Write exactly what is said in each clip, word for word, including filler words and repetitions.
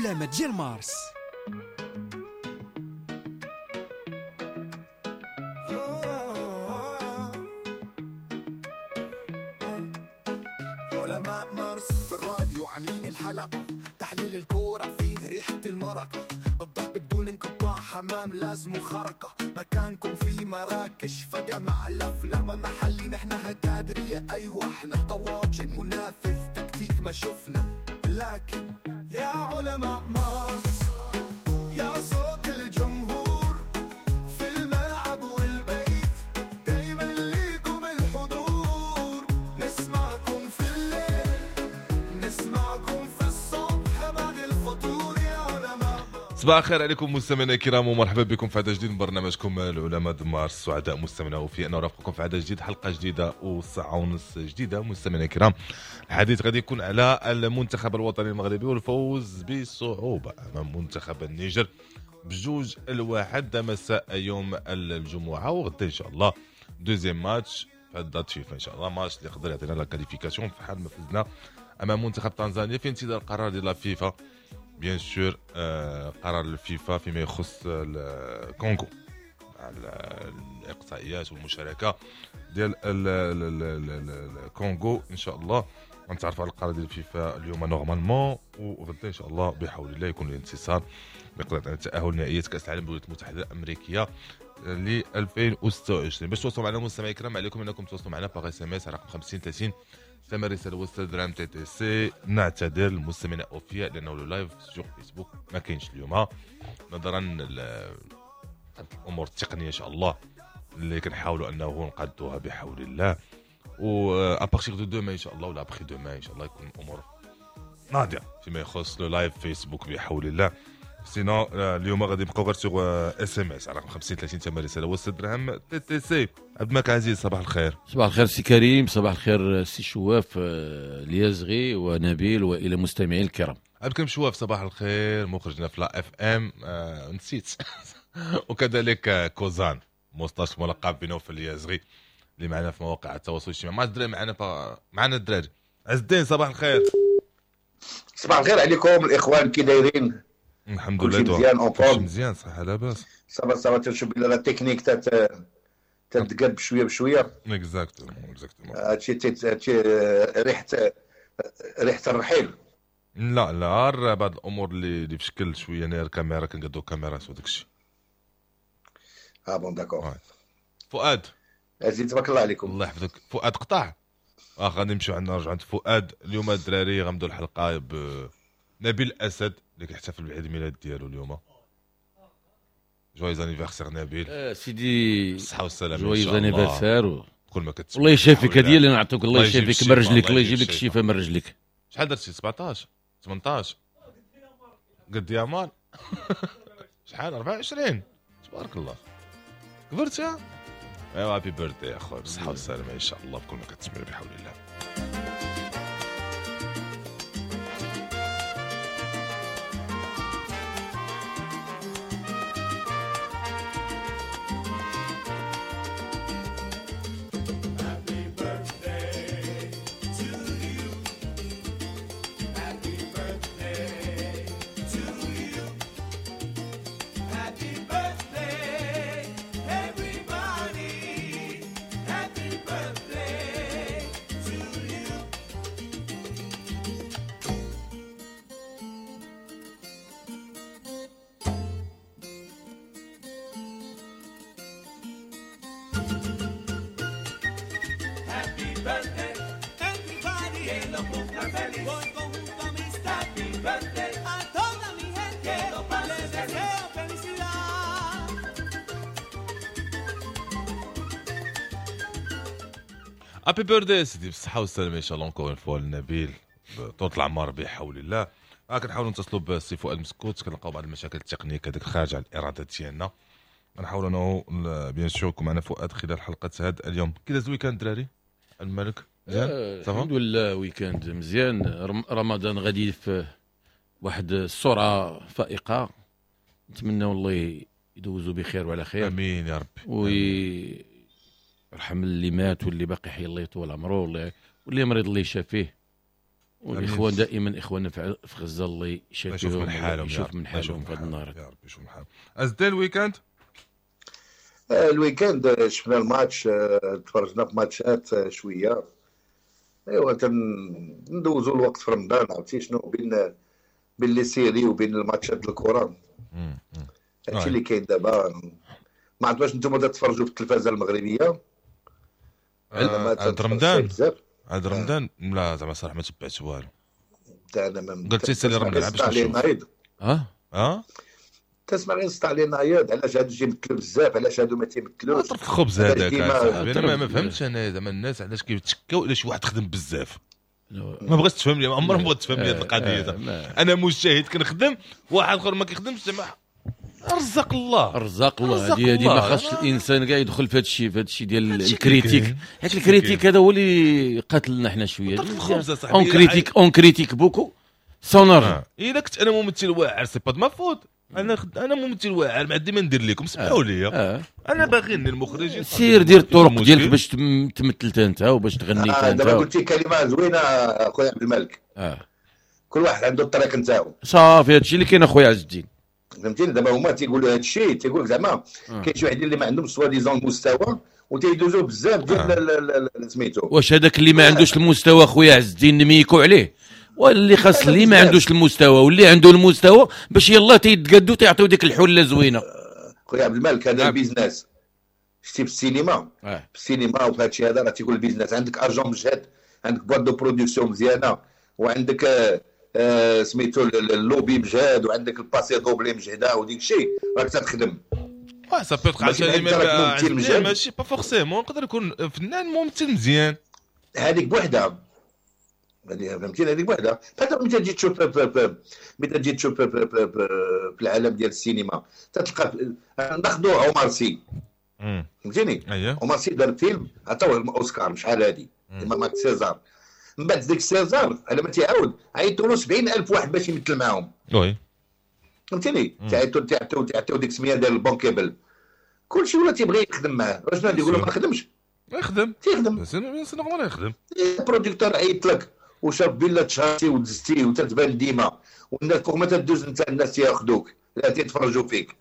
العلماء ديال مارس. علماء مارس في الراديو عاملين الحلقة، تحليل الكورة فيه ريحة المرق، الضرب بدون انقطاع، حمام لازم خرقة، مكانكم في مراكش فجأة مع الأفلام محلي، نحن هتادرية أيوة احنا طواجن منافذ تكتيك ما شفنا، لكن يا علماء مارس يا صوت الجمهور في الملعب والبيت، دايما ليكم الحضور، نسمعكم في الليل نسمعكم في الصبح بعد الفطور يا علماء. صباح الخير عليكم مستمعينا الكرام ومرحبا بكم في عدد جديد من برنامجكم العلماء د مارس. سعداء مستمعينا وفي ان نرافقكم في عدد جديد، حلقة جديدة وساعة ونص جديدة. مستمعينا الكرام، الحديث غادي يكون على المنتخب الوطني المغربي والفوز بصعوبة امام منتخب النيجر بجوج الواحد مساء يوم الجمعة، وغدا ان شاء الله deuxième match في هاد date فيفا ان شاء الله، ماتش اللي يقدر يعطينا la qualification في حال ما فزنا امام منتخب تنزانيا في انتظار قرار ديال la FIFA. bien sûr قرار الفيفا فيما يخص الكونغو على الاقصائيات والمشاركة ديال الكونغو. ان شاء الله غنتعرفوا على القرار ديال الفيفا اليوم normalement، وغدا ان شاء الله بحول الله يكون الانتصار بقدرة على التاهل نهائيات كاس العالم بالولايات المتحدة الامريكية ل ألفين وستة وعشرين. باش توصلوا معنا مستمعي الكرام، عليكم انكم تواصلوا معنا par SMS على رقم خمسين ثلاثين ثمن رسالة وسط درهم TTC. نعتذر المستمعين اوفياء لانه le live sur فيسبوك ما كاينش اليوم نظرا للامور التقنية ان شاء الله اللي كنحاولوا انه نقادوها بحول الله، و à partir de demain ان شاء الله ولا après-demain ان شاء الله يكون الامور ناضيه فيما يخص le live فيسبوك بحول الله. sinon اليوم غادي نبقاو غير sur SMS على رقم خمسين ثلاثين ثمن رسالة وسط درهم TTC. عبد الملك عزيز صباح الخير. صباح الخير سي كريم، صباح الخير سي شواف اليازغي ونبيل والى المستمعين الكرام. عبد الكريم شواف صباح الخير، مخرجنا في la FM آه نسيت وكذلك كوزان moustache ملقب بنوفل اليازغي اللي معنا في مواقع التواصل الاجتماعي. مع الدراري معنا فا... معنا الدراري. عز الدين صباح الخير. صباح الخير عليكم الاخوان، كي دايرين؟ الحمد لله مزيان، encore مزيان صح لاباس ça va ça va. تنشوف بلا la technique تت تتقاد بشوية بشوية. exactement exactement. هادشي هادشي ريحه ريحه الرحيل. لا لا بعض الامور اللي اللي بشكل شوية انا الكاميرا كنقادو كاميرات وداك الشيء. اه bon d'accord. فؤاد عزيز تبارك الله عليكم. الله يحفظك. فؤاد قطع اه غادي نمشيو عندنا نرجعو عند فؤاد. اليوم الدراري غنبداو الحلقة ب نبيل الاسد اللي كيحتفل بعيد الميلاد ديالو اليوم. joyeux anniversaire نبيل. آه سيدي بالصحة والسلامة. joyeux anniversaire. كل ما كتسمع الله يشافيك، هذه اللي نعطوك. الله يشافيك من رجليك، الله يجيب لك الشفاء من رجليك. شحال درتي؟ سبعطاش ثمنطاش قد يا مان شحال؟ أربعة وعشرين تبارك الله كبرت يا ايوا. happy birthday يا خويا، بالصحة والسلامة ان شاء الله بكل ما كتسمع بحول الله. happy birthday سيدي، بالصحة والسلامة ان شاء الله. encore une fois لنبيل طول العمر بحول الله. آه كنحاولوا نتصلوا بالسي فؤاد مسكوت، كنلقاو بعض المشاكل التقنية كذلك خارج على الارادة ديالنا. نحاولوا انه bien sûr يكون معنا فؤاد خلال حلقة هذا اليوم. كي داز ال week-end الدراري؟ الملك مزيان؟ الحمد لله week-end مزيان. رمضان غادي في واحد السرعة فائقة. نتمنى والله يدوزوا بخير وعلى خير. امين يا ربي. ويرحم اللي مات واللي باقي حي الله يطول عمره، واللي واللي مريض الله يشافيه. والاخوان دائما اخواننا في غزة الله يشافيهم، من حالهم، يشوف من حالهم في هذا النهار يا رب، يشوف من حالهم. ازدال ال week-end ال week-end شفنا الماتش، تفرجنا في ماتشات شوية. ايوا تندوزوا الوقت في رمضان، عرفتي شنو، بين بين les séries وبين الماتشات الكره. هادشي اللي كاين دابا. ما عرفت واش نتوما تتفرجوا في التلفازه المغربية عند رمضان؟ عند رمضان لا زعما صراحة ما تبعت والو. انا ما قلت سالي رمضان باش نشوف. اه اه تسمع غير صداع لي نايض، علاش هادو تيمثلوا بزاف، علاش هادو ما تيمثلوش. طرف الخبز هذاك انا ما فهمتش انا زعما الناس علاش كيتشكاو على شي واحد خدم بزاف. ما بغيتش تفهم لي، عمر ما بغيت تفهم لي هذه القضية. انا مجتهد كنخدم، واحد اخر ما كيخدمش زعما رزق الله، رزق الله. هذه هذه ما خاصش الانسان كاع يدخل في هذا الشيء، في هذا الشيء ديال ال critique، حيت ال critique هذا هو اللي قاتلنا حنا شوية. on critique on critique beaucoup sans argent. الا كنت انا ممثل واعر c'est pas de ma faute. انا خد... انا ممثل واعر ما عندي ما ندير لكم، سمحوا لي. آه. انا باغي المخرج سير دير الطرق ديالك باش تمثل انت وباش تغني آه انت. دابا قلتي كلمة زوينة اخويا عبد الملك. اه كل واحد عنده الطريق نتاعو. صافي هادشي اللي كاين اخويا عز الدين. فهمتيني؟ دابا هما تيقولوا هادشي، تيقول لك زعما كاين شي وحدين اللي ما عندهمش soi-disant المستوى وتيدوزوا بزاف ديال سميتو. واش هذاك اللي ما عندوش المستوى خويا عز الدين نميكو عليه؟ واللي خاص اللي ما عندوش المستوى واللي عنده المستوى باش يلاه تيتقادوا تيعطيو ديك الحلة زوينة. خويا عبد الملك هذا ال business شتي في السينما، في السينما وفي هادشي هذا راه تيقول ال business، عندك agent مجهد، عندك boîte de production مزيانه، وعندك آه سميتو اللوبي مجهد، وعندك ال passé doublé مجهده وديك الشيء راك تخدم. واه ça peut عشان ماشي pas forcément نقدر يكون فنان ممثل مزيان هذيك بوحدها، فهمتيني؟ هذيك بوحدها. فهذا ملي تجي تشوف ملي تجي تشوف في العالم ديال السينما تتلقى ناخذوا عمر سي، فهمتيني؟ عمر سي دار فيلم عطاوه الاوسكار شحال هادي مع سيزار، من بعد ديك سيزار على ما تيعاود عيطوا له سبعين ألف واحد باش يمثل معاهم. oui فهمتيني؟ تعيطوا تعيطوا تعيطوا ديك السمية ديال البونكيبل، كلشي ولا تيبغي يخدم معاه. واش غادي يقول له ما نخدمش؟ يخدم تيخدم، c'est normal يخدم. ال producteur عيط لك وشاف بلا تشهرتي ودزتي وتتبان ديما والناس فوق ما تدوز انت الناس تياخذوك لا تيتفرجوا فيك.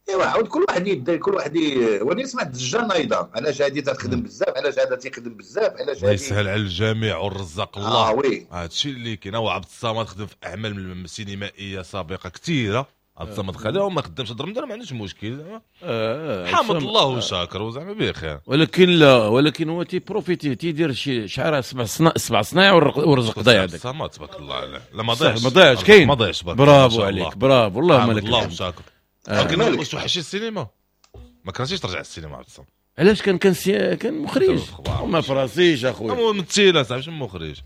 ايوا عاود كل واحد يدير كل واحد ي... وانا سمعت الدجال نايضه، علاش هادي تخدم بزاف، علاش هذا تيخدم بزاف، علاش هادي. يسهل على الجميع والرزاق الله. آه oui هادشي اللي كاين. وعبد الصمد خدم في اعمال سينمائية سابقه كثيرة، عبد الصمد خدم وما خدمش هاد رمضان ما عندوش مشكل زعما. آه حامد الله وشاكر وزعما بخير. ولكن لا، ولكن هو تي profiter تيدير شي شعره سبع صناع سبع صنايع ورزق ضايع. هذاك الصمد تبارك الله عليه. لا ما ضيعش ما ضيعش كاين ما ضيعش. برافو عليك، برافو والله ملك الله وشاكر. ولكن واش توحشي السينما؟ ما كرهتيش ترجع السينما عبد الصمد؟ علاش؟ كان كان كان مخرج ما فراسيش اخويا. هو ممثل صاحبي ماشي مخرج.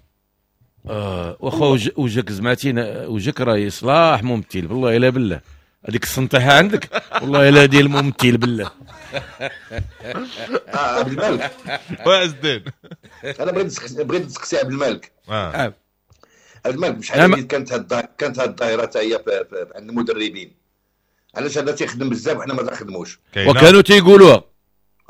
اه واخا وجهك زعمتينا وجهك راه يصلاح ممثل والله الا بالله. هذيك السنطيحه عندك والله الا ديال الممثل بالله. اه عبد الملك وعز الدين انا بغيت بغيت نسقسي عبد الملك. اه عبد الملك شحال كانت هاد كانت هاد الظاهرة حتى هي عند المدربين، علاش هذا تيخدم بزاف وحنا ما تنخدموش؟ وكانوا تيقولوها.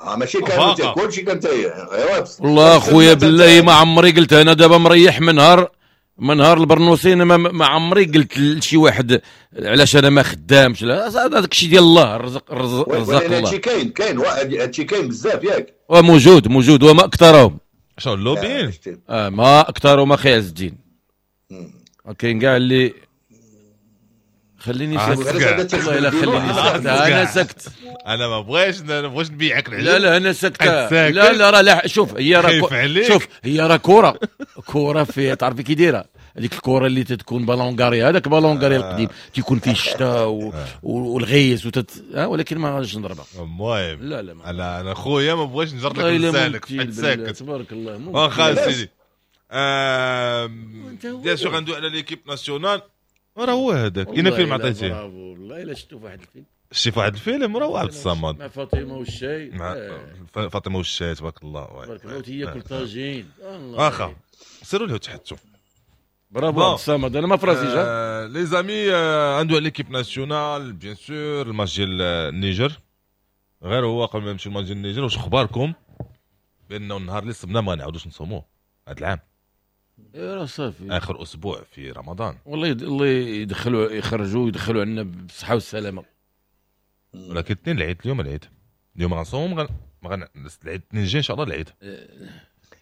اه ماشي كانوا كلشي كان تي. ايوا والله خويا بالله ما عمري قلت انا دابا مريح من نهار من نهار البرنوسين ما, ما عمري قلت لشي واحد علاش انا ما خدامش. لا هذاك الشيء ديال الله، الرزق الرزق الله. هادشي كاين كاين هادشي كاين بزاف ياك. وموجود موجود وما اكثرهم. شنو اللوبيين؟ اه ما اكثرهم اخي عز الدين. كاين كاع اللي خليني ساكت والله الا خليني ساكت. انا سكت، انا ما بغيتش انا بغيتش نبيعك العجل. لا لا انا سكت. لا لا راه لا شوف هي راه شوف هي راه كره كره في تعرفي كي دايرة هذيك الكره اللي تتكون ballon carré، هذاك ballon carré القديم تيكون فيه الشتاء و... والغيس وتت... ولكن ما غاديش نضربها. المهم لا لا ما. انا انا خويا ما بغيتش نجر لك لسانك ساكت تبارك الله. واخا سيدي bien sûr غندوي على l'équipe nationale. راه هو هذاك اين فيلم عطيتيه؟ برافو والله الا شفتو في واحد الفيلم. شتي في واحد الفيلم راه عبد الصمد مع فاطمة والشاي. مع فاطمة والشاي تبارك الله. تبارك الله وتياكل طاجين. واخا سيروا له تحتو. برافو عبد الصمد، انا ما فراسيش. les amis، عنده l'équipe nationale bien sûr الماتش ديال النيجر، غير هو قبل ما نمشيو الماتش ديال النيجر، واش اخباركم بانه النهار اللي صبنا ما نعاودوش نصوموه هذا العام؟ راه صافي اخر اسبوع في رمضان. والله الله يدخلوا يخرجوا يدخلوا عندنا بالصحة والسلامة. ولكن اثنين العيد، اليوم العيد، اليوم غنصوم غن غن العيد اثنين جاي ان شاء الله العيد.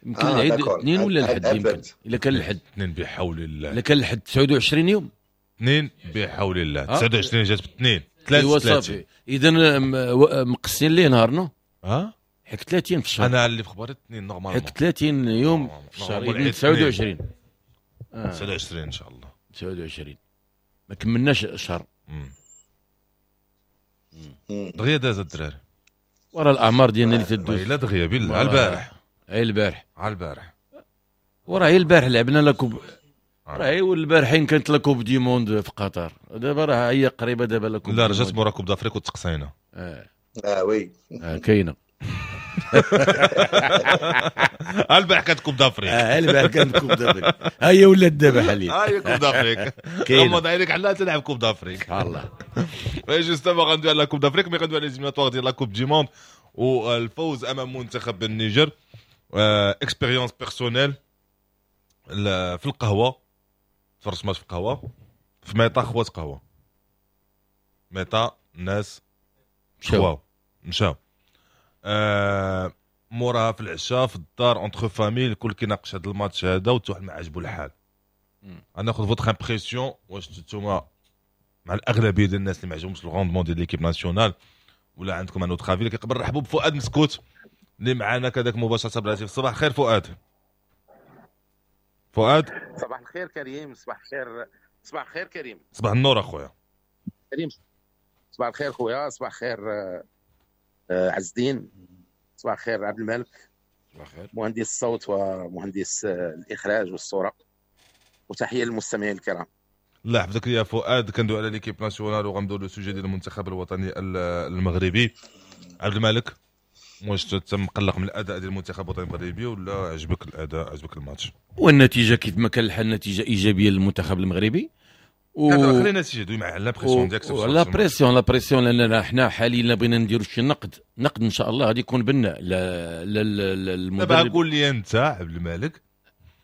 يمكن آه العيد اثنين ولا الحد، يمكن الا كان الحد اثنين بحول الله، الا كان الحد تسعة وعشرين يوم، اثنين بحول الله تسعة وعشرين جات باثنين ثلاثة ثلاثين. اذا مقسين ليه نهارنا ها حيت ثلاثين في الشهر. انا اللي في خبري اثنين normalement، حيت ثلاثين يوم في الشهر، تسعة وعشرين تسعة وعشرين ان شاء الله. تسعة وعشرين ما كملناش شهر. دغيا داز الدراري ورا الاعمار ديالنا اللي تدوز. الا دغيا بالله على البارح، غير البارح على البارح وراه غير البارح لعبنا la coupe، راه والبارحين كانت la coupe du monde في قطر، دابا راه هي قريبه دابا la coupe. لا رجعت مورا coupe d'Afrique وتقصينا. اه اه oui اه كاينه. البارح كانت coupe d'Afrique. اه البارح كانت coupe d'Afrique، ها هي ولات دابا حاليا، ها هي coupe d'Afrique. غمض عينيك على تلعب coupe d'Afrique. الله justement غندوي على coupe d'Afrique، mais غندوي على les éliminatoires ديال la coupe du monde والفوز امام منتخب النيجر. expérience personnelle في القهوة، تفرجت ماتش في القهوة في mi-temps، خوات قهوة mi-temps، الناس مشاو مشاو آه موراها في العشاء في الدار entre familles الكل كيناقش هذا الماتش هذا وحتى واحد ما عجبو الحال. انا ناخذ votre impression، واش نتوما مع الاغلبية ديال الناس اللي ما عجبهمش ال rendement ديال l'équipe nationale ولا عندكم un autre avis؟ كيقبل نرحبوا بفؤاد مسكوت اللي معنا كذاك مباشرة بالهاتف. صباح الخير فؤاد. فؤاد صباح الخير كريم. صباح الخير. صباح الخير كريم. صباح النور اخويا كريم. صباح الخير خويا. صباح الخير عز الدين. صباح الخير عبد الملك. صباح الخير مهندس الصوت ومهندس الاخراج والصورة، وتحية للمستمعين الكرام. الله يحفظك يا فؤاد. كندوي على l'équipe nationale وغندوي le sujet ديال المنتخب الوطني المغربي. عبد الملك، واش انت مقلق من الاداء ديال المنتخب الوطني المغربي ولا عجبك الاداء، عجبك الماتش؟ والنتيجة كيف ما كان الحال نتيجة ايجابية للمنتخب المغربي. و خلينا النتيجة دوي مع la pression ديالك. la pression la pression لاننا حنا حاليا بغينا نديرو شي نقد، نقد ان شاء الله غادي يكون بنا المدرب. دابا قول لي انت عبد الملك،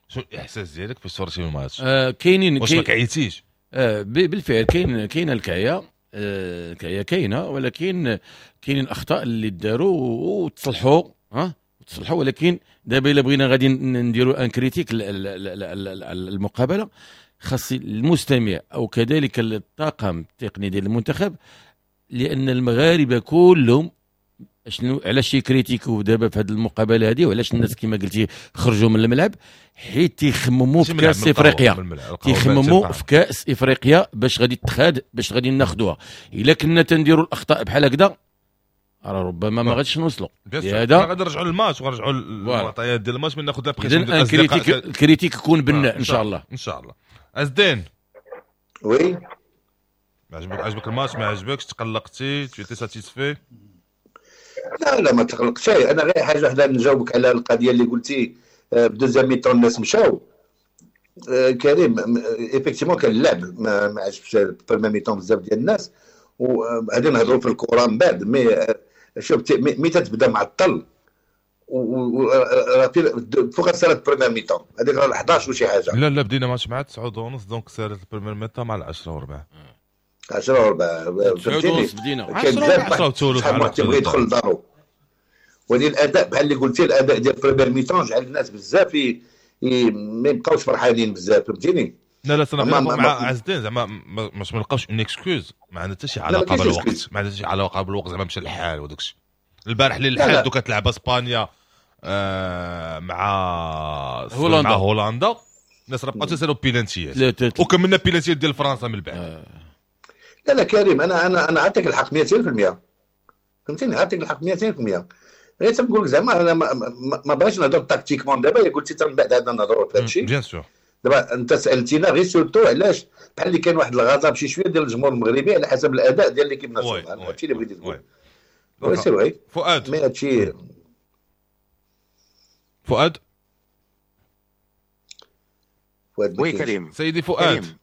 شنو الاحساس ديالك فاش تفرجتي الماتش؟ آه كاينين واش ما كعيتيش؟ آه بالفعل كاين كاينه الكعيه، آه الكعيه كاينه، ولكن كاينين اخطاء اللي داروا وتصلحوا، ها تصلحوا. ولكن دابا الا بغينا غادي نديروا une critique المقابلة، خاص المستمع او كذلك الطاقم التقني ديال المنتخب، لان المغاربة كلهم شنو علاش يكريتيكو دابا في هذه المقابلة هذه، وعلاش الناس كما قلتي خرجوا من الملعب، حيت تيخمموا في كاس افريقيا، تيخمموا في كاس افريقيا باش غادي تخاد، باش غادي ناخذوها. الا كنا تنديروا الاخطاء بحال هكذا راه ربما ما غاديش نوصلوا. لهذا غادي نرجعوا للماتش ونرجعوا للمعطيات ديال الماتش من ناخذ la pression ديال الاصدقاء. ال critique يكون بناء ان شاء الله. ان شاء الله. عزدين oui، عجبك عجبك الماتش ما عجبكش؟ تقلقتي؟ tu étais satisfait؟ لا لا ما تقلقش. انا غير حاجة وحده نجاوبك على القضية اللي قلتي ب deuxième mi-temps الناس مشاو. كريم effectivement كان اللعب ما, ما عجبش première mi-temps بزاف ديال الناس، وغادي نهضروا في الكره من بعد. mais شوف mais تتبدا معطل فوق سالت première mi-temps هذيك راه احداش وشي حاجة. لا لا بدينا ماتش مع تسعة ونص، donc سالت ال première mi-temps مع عشرة وربع. عشرة وربع تسعة ونص بدينا. كان بزاف شحال واحد تيبغي يدخل لدارو. ولكن الاداء بحال اللي قلتي، الاداء ديال première mi-temps جعل الناس بزاف ما يبقاوش فرحانين بزاف، فهمتيني؟ لا لا انا مع عز الدين زعما باش ما نلقاوش une excuse، ما عندها حتى شي علاقة بالوقت، ما عندها حتى شي علاقة بالوقت، زعما مشى الحال وداك الشيء. البارح اللي الحال دوك كتلعب اسبانيا آه مع هولندا، مع هولندا الناس راه بقاو تسالوا بيلانتيات وكملنا بيلانتيات ديال فرنسا من بعد. آه. لا لا كريم، انا انا انا عطيك الحق مئتين بالمئة، فهمتيني؟ عطيك الحق مئتين بالمئة. غير تنقول لك زعما انا ما, ما بغيتش نهضر tactiquement دابا، قلتي حتى من بعد عندنا نهضروا في هذا الشيء bien sûr. دابا انت سالتينا غير surtout علاش بحال اللي كان واحد الغضب شي شوية ديال الجمهور المغربي على حسب الاداء ديال l'équipe nationale، هادشي اللي بغيتي تقول. oui c'est vrai فؤاد، mais هادشي فؤاد فؤاد oui كريم. سيدي فؤاد كريم.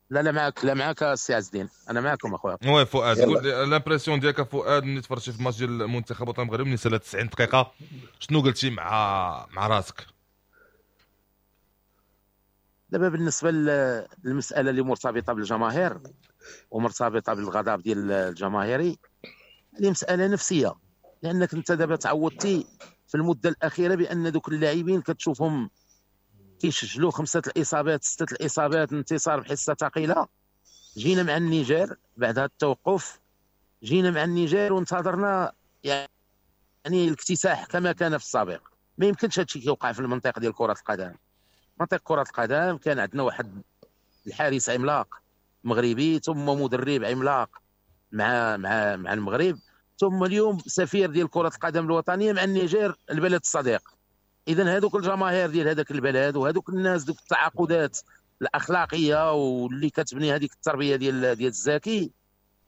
لا لا معاك، لا معاك السي عز الدين، انا معاكم اخويا. oui فؤاد، قول l'impression ديالك فؤاد ملي تفرجتي في الماتش ديال المنتخب الوطني المغربي ملي سالت تسعين دقيقة، شنو قلتي مع مع راسك؟ دابا بالنسبة للمسالة اللي مرتبطة بالجماهير ومرتبطة بالغضب ديال الجماهيري، هذه مسالة نفسية، لانك انت دابا تعودتي في المدة الاخيرة بان دوك اللاعبين كتشوفهم كيسجلوا خمسة الاصابات، ستة الاصابات، انتصار بحصة ثقيلة. جينا مع النيجر بعد هذا التوقف، جينا مع النيجر وانتظرنا يعني الاكتساح كما كان في السابق. ما يمكنش هادشي كيوقع في المنطق ديال كره القدم. منطق كره القدم كان عندنا واحد الحارس عملاق مغربي، ثم مدرب عملاق مع مع مع المغرب، ثم اليوم سفير ديال كره القدم الوطنية مع النيجر البلد الصديق. اذا هذوك الجماهير ديال هذاك البلد وهذوك الناس، دوك التعاقدات الاخلاقية واللي كتبني هذيك التربية ديال ديال الزكي،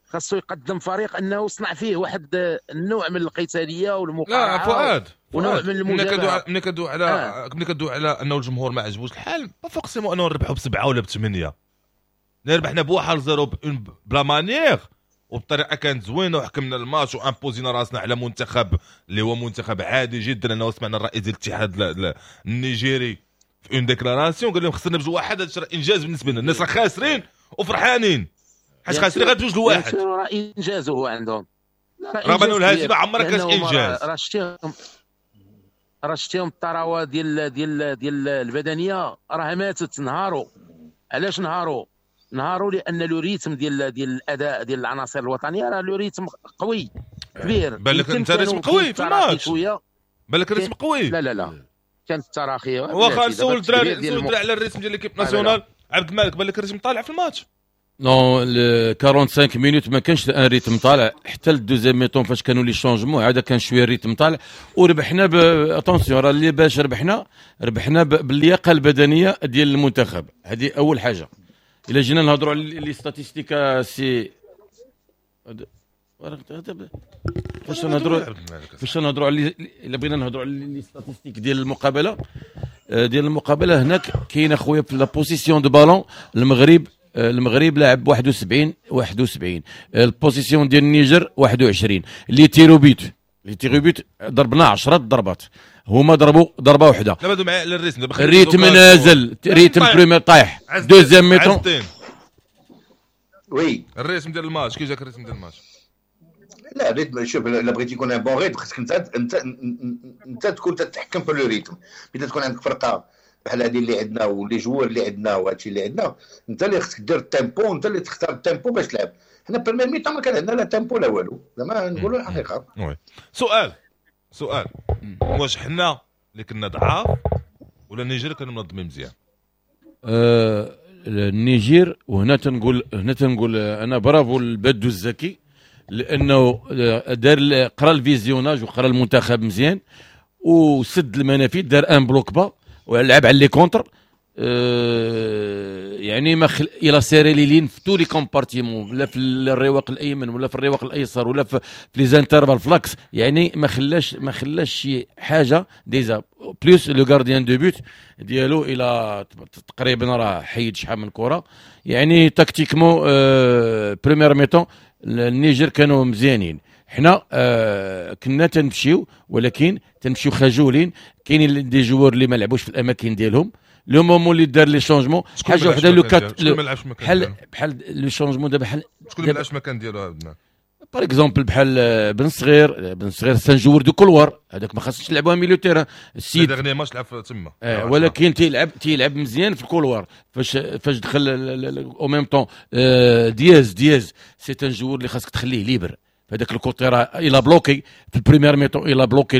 خاصو يقدم فريق انه صنع فيه واحد النوع من القتالية والمقارعه. لا فؤاد، ونوع من المجابهه. ملي كدوي على آه. ملي كدوي على انه الجمهور ما عجبوش الحال، pas forcément انه نربحوا بسبعة ولا بثمانية، ربحنا بواحد zéro ب la manière وبطريقة كانت زوينة، وحكمنا الماتش و imposينا راسنا على منتخب اللي هو منتخب عادي جدا. انه سمعنا الرئيس ديال الاتحاد النيجيري في une déclaration قال لهم خسرنا بجوج واحد، هذا انجاز بالنسبة لنا. الناس راه خاسرين وفرحانين حيت خاسرين غير بجوج لواحد، راه انجاز هو عندهم، رغم انه الهزيمة عمرها كانت انجاز. راه شتيهم، راه شتيهم الثروة ديال ديال ديال البدنية راه ماتت. نهاروا علاش نهاروا؟ نهاروا لان le rythme ديال ديال الاداء ديال العناصر الوطنية راه le rythme قوي كبير. بالك انت rythme قوي في الماتش، بالك rythme قوي. لا لا لا كانت التراخي. واخا نسول الدراري، نسول الدراري على ال rythme ديال l'équipe nationale. عبد الملك، بالك ال rythme طالع في الماتش؟ non، خمسة وأربعين minutes ما كانش un rythme طالع حتى ال deuxième mi-temps فاش كانوا les changements، عاد كان شوية ال rythme طالع وربحنا. attention، راه اللي باش ربحنا، ربحنا باللياقه البدنية ديال المنتخب. هذه اول حاجة. الا جينا نهضروا على les statistiques، سي فاش نهضروا فاش نهضروا على الا بغينا نهضروا على les statistiques ديال المقابلة ديال المقابلة هناك كاين اخويا في la possession de ballon، المغرب المغرب لعب واحد وسبعين واحد وسبعين، ال possession ديال النيجر واحد وعشرين. les tirs au but les tirs au but ضربنا عشرة ضربات، هما ضربوا ضربه واحده. دابا معايا على ال rythme. ال rythme نازل، rythme première طايح، deuxième mi-temps. oui. ال rythme ديال الماتش، كي جاك ال rythme ديال الماتش؟ لا، ال rythme، شوف، الا بغيتي يكون un bon rythme خصك انت انت انت تكون تتحكم في le rythme. ملي تكون عندك فرقه بحال هذه اللي عندنا و les joueurs اللي عندنا وهادشي اللي عندنا، انت اللي خصك دير ال tempo، انت اللي تختار ال tempo باش تلعب. حنا première mi-temps ما كان عندنا لا tempo لا والو، زعما نقولوا الحقيقه. oui. سؤال سؤال، واش حنا اللي كنا ضعاف ولا النيجر كانوا منظمين مزيان؟ آه النيجير، وهنا تنقول هنا تنقول انا برافو البدو الزكي، لانه دار قرا ال visionnage وقرا المنتخب مزيان وسد المنافذ، دار un bloc bas ولعب على les contres. آه، يعني ما خل... il a serré les lignes في tous les compartiments، لا في الرواق الايمن ولا في الرواق الايسر ولا في, في les intervalles، ف l'axe. يعني ما خلاش ما خلاش شي حاجة déjà. plus le gardien de but ديالو الى تقريبا راه حيد شحال من كره. يعني tactiquement آه première mi-temps النيجر كانوا مزيانين. حنا آه كنا تنمشيو ولكن تنمشيو خجولين. كاينين des joueurs اللي ما لعبوش في الاماكن ديالهم. le moment اللي دار les changements، حاجة وحده le quatre بحال بحال les changements دابا بحال شكون اللي ما لعبش المكان ديالو؟ par exemple بحال بن صغير. بن صغير c'est un joueur de couloir، هذاك ما خاصش تلعبوها milieu terrain. السيد dernier match لعب تما. آه ولكن تيلعب تيلعب مزيان في ال couloir. فاش فاش دخل au même temps دياز، دياز c'est un joueur اللي خاصك تخليه libre. هذاك ال côté راه il a bloqué في ال première mi-temps، il a bloqué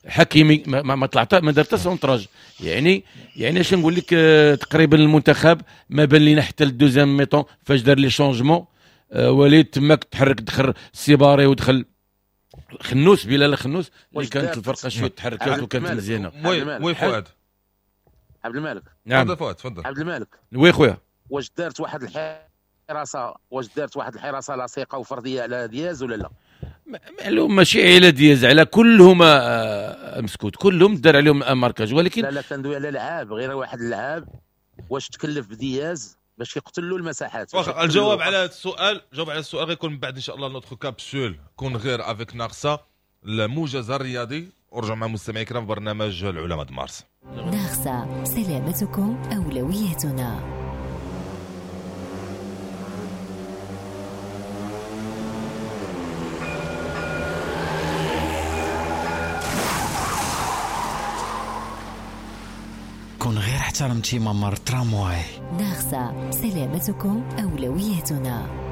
حكيمي، ما, ما طلع ما دار حتى centrage. يعني يعني اش نقول لك، آه، تقريبا المنتخب ما بان لينا حتى ال deuxième mi-temps فاش دار les changements. آه، وليد تماك تحرك، دخل السيباري ودخل خنوس، بلال خنوس، اللي كانت الفرقة شوية تحركات وكانت مزيانه. oui oui فؤاد. عبد الملك. نعم. تفضل فؤاد، تفضل. عبد الملك. oui خويا. واش دارت واحد الحراسه واش دارت واحد الحراسة لصيقه وفرديه على دياز ولا لا؟ معلوم ماشي على دياز، على كلهم مسكوت، كلهم دار عليهم marquage. ولكن لا لا كندوي على لعاب، غير واحد اللعاب واش تكلف بدياز باش يقتل له المساحات. واخا الجواب على هذا السؤال، جواب على السؤال غيكون من بعد ان شاء الله notre capsule كون غير avec ناقصه الموجز الرياضي. ورجعوا مع مستمعي الكرام في برنامج العلماء مارس. ناقصه سلامتكم اولويتنا. كون غير احترمتي ممر ترامواي. ناغسة سلامتكم أولويتنا.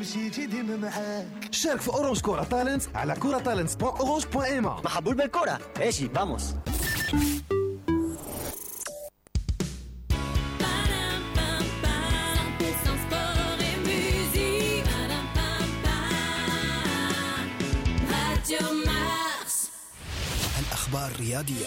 مشيتي ديما معاك. شارك في Orange كورة Talents على كورة Talents point Orange point ma. محبول بالكرة ماشي vamos. الأخبار الرياضية.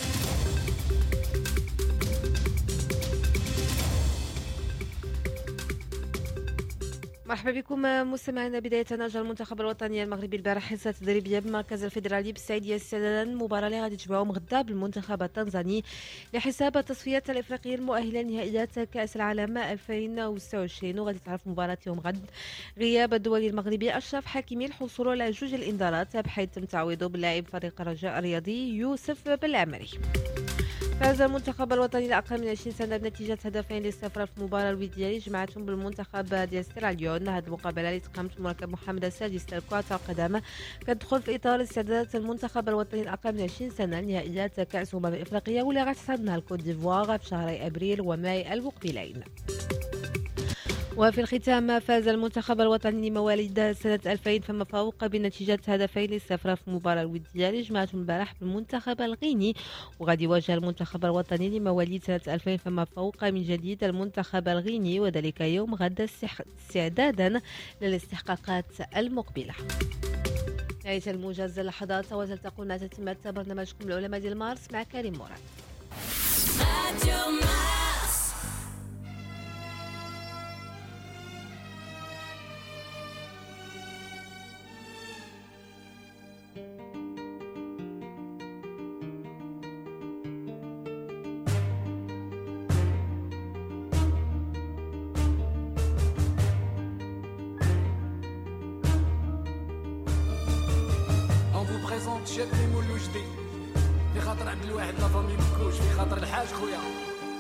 مرحبا بكم مستمعينا. بداية أجرى المنتخب الوطني المغربي البارح حصة تدريبية بالمركز الفيدرالي بالسعيدية استعدادا المباراة اللي غادي تجمعهم غدا بالمنتخب التنزاني لحساب التصفيات الإفريقية المؤهلة لنهائيات كأس العالم ألفين وستة وعشرين، وغادي تعرف مباراة يوم غد غياب الدولي المغربي أشرف حكيمي الحصول على جوج الإنذارات بحيث تم تعويضه باللاعب فريق الرجاء الرياضي يوسف بالعمري. فاز المنتخب الوطني الأقل من عشرين سنة بنتيجة هدفين لصفر في المباراة الودية اللي جمعتهم بالمنتخب ديال سيراليون. هذه المقابلة اللي تقامت في مركب محمد السادس لكرة القدم كتدخل في إطار استعدادات المنتخب الوطني الأقل من عشرين سنة لنهائيات كأس أمم إفريقيا واللي غتحتضنها الكوت ديفوار في شهري أبريل وماي المقبلين. وفي الختام فاز المنتخب الوطني لمواليد سنة ألفين فما فوق بنتيجة هدفين لصفر في المباراة الودية اللي جمعتهم البارح بالمنتخب الغيني، وغادي يواجه المنتخب الوطني لمواليد سنة ألفين فما فوق من جديد المنتخب الغيني وذلك يوم غد استعدادا للاستحقاقات المقبلة. نهاية الموجز اللحظات وتلتقون مع تتمة برنامجكم العلماء ديال مارس مع كريم مراد. في خاطر عبد الواحد la famille مكوش، في خاطر الحاج خويا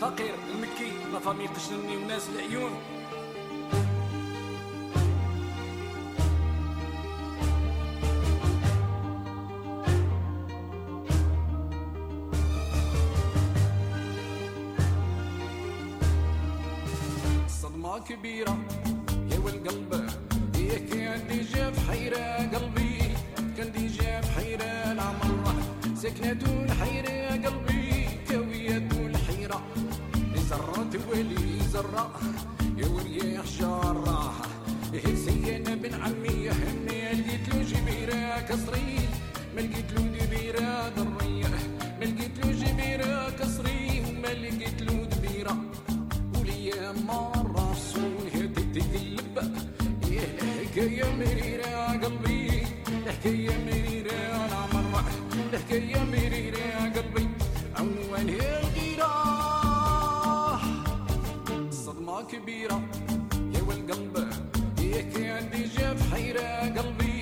فقير المكي la famille قشنني وناس العيون. الصدمة كبيرة يا والقلب يا كان déjà في حيرة قلبي، كان déjà في حيرة العمر سكنة الحيرة قلبي كوية الحيرة زرت ولي زرة يا وريح جارة سينا بن عمي همي لقيت له جبيرة كسري ما لقيت له دبيرة ضرية ما لقيت له جبيرة كسري وما لقيت له دبيرة وليا مرة فصولها تتقلب الحكاية مريرة قلبي الحكاية مريرة العمر الحكاية مريرة قلبي عنوان الغيرة الصدمة كبيرة يا والقلب يا كان déjà في حيرة قلبي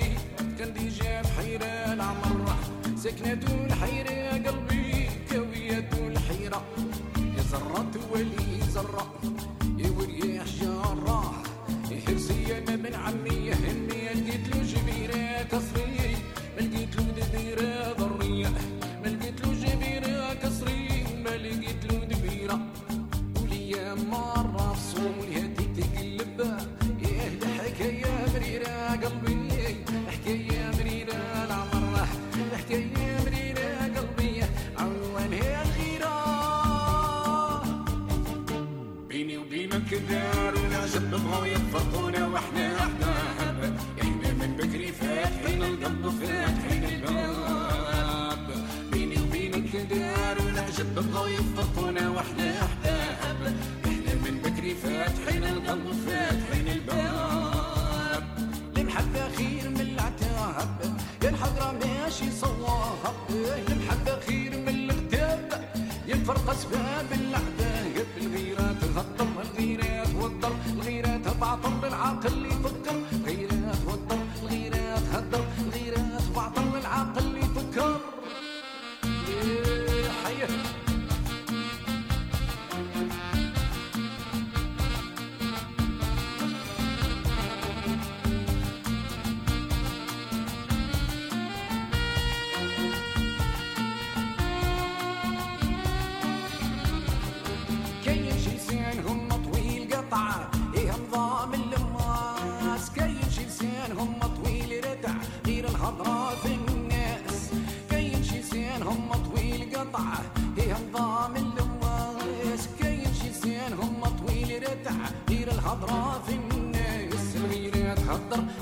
كان déjà في حيرة العمر سكنة الحيرة قلبي كوية الحيرة يا زرة ولي زرة يا وريح جارة حرسي أنا بن عمي همي لقيت له جبيرة كسري ما لقيت له دبيرة ضرية ما لقيت له جبيرة كسري وما لقيت له دبيرة وليا مرة فصولها تتقلب يا الحكاية وبينك داروا العجب بغاو يفرقونا واحنا احباب، احنا من بكري فاتحين القلب فاتحين الباب. بيني وبينك داروا العجب بغاو يفرقونا واحنا احباب، احنا من بكري فاتحين القلب فاتحين الباب. المحبة خير من العتاب، يا الحضرة ماشي صواب، المحبة خير من الغتاب، يا الفرقة اسباب العذاب. الغيرة تغطر الغيرة توضر الغيرة تبعطر العقل يفكر، الغيرة توضر الغيرة تهدر الغيرة تبعطر العقل يفكر. حيه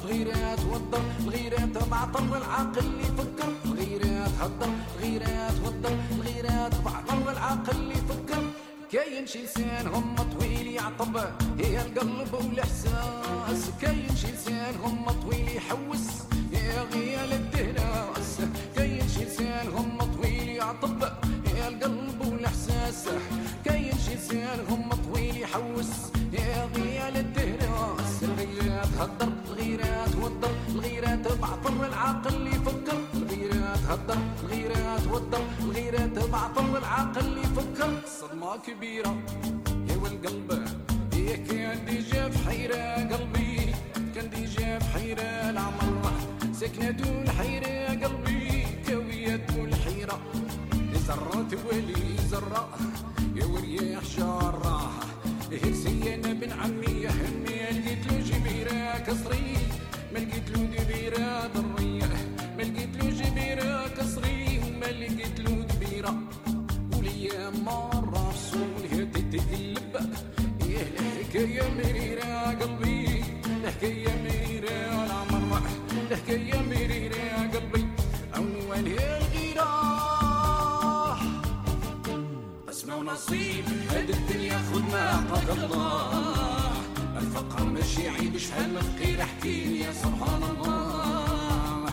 الغيرة توضر الغيرة تبعطر العقل يفكر، الغيرة تهدر الغيرة توضر الغيرة تبعطر العقل يفكر. كاين شي لسان هم طويل يعطب هي القلب والاحساس، كاين شي لسان هم طويل يحوس يا غيال الدهناس، كاين شي لسان هم طويل يعطب هي القلب والاحساس، كاين شي لسان هم طويل يحوس يا غيال الدهناس. الغيرة تهدر الغيرة توضر الغيرة تبعطر العقل يفكر، الغيرة تهدر الغيرة توضر الغيرة تبعطر العقل يفكر. صدمة كبيرة يا والقلب يا كان déjà في حيرة، قلبي كان déjà في حيرة العمر سكنة دون حيرة، قلبي كوية دون حيرة زرات ولي زرة يا ورياح جارة هرسي انا بن عمي يا همي لقيت له جبيرة كسري، ما لقيت له دبيرة ضرية، ما لقيت له جبيرة كسري وما لقيت له دبيرة، وليا مرة فصولها تتقلب إيه الحكاية مريرة قلبي، الحكاية مريرة العمر، الحكاية مريرة قلبي عنوانها الغيرة. اسمع ونصيب هاد الدنيا خد ما عطاك الله، الفقر ماشي عيب شحال من فقير احكي يا سبحان الله.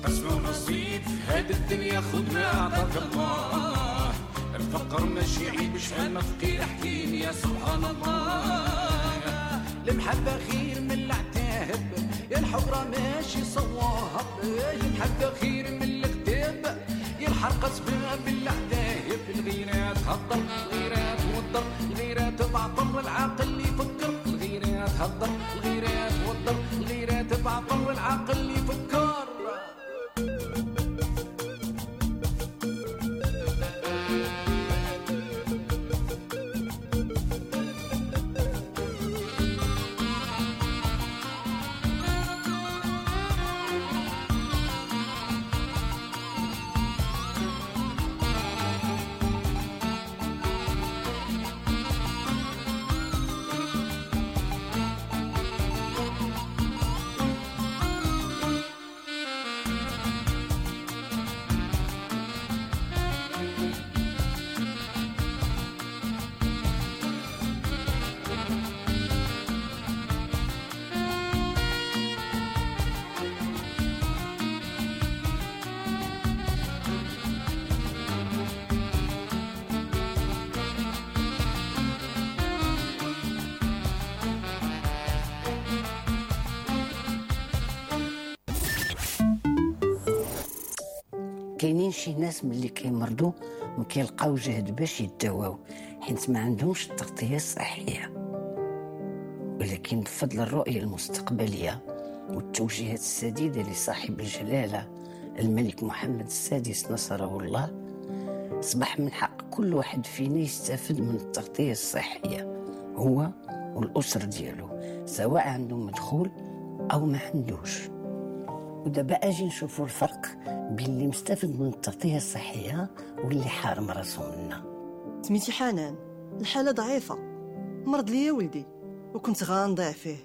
اسمع ونصيب هاد الدنيا خد ما عطاك الله، الفقر ماشي عيب شحال من فقير احكي يا سبحان الله. المحبة خير من العتاب، يا الحقرة ماشي صواب، المحبة خير من الكتاب، يا الحرقة سباب العذاب. الغيرة تهدر الغيرة توضر الغيرة تبعطر العقل يفكر، الغيرة تهدر الغيرة توضر الغيرة تبعطر العقل يفكر. كاينين شي ناس ملي كيمرضوا ما كيلقاو جهد باش يتداواو حيت ما عندهمش التغطية الصحية، ولكن بفضل الرؤية المستقبلية والتوجيهات السديدة لصاحب الجلاله الملك محمد السادس نصره الله، اصبح من حق كل واحد فينا يستافد من التغطية الصحية هو والاسرة ديالو، سواء عنده مدخول او ما عندوش. ودابا اجي نشوفوا الفرق بين اللي مستفد من التغطية الصحية واللي حارم راسو منها. سميتي حنان، الحالة ضعيفة، مرض ليا ولدي وكنت غنضيع فيه.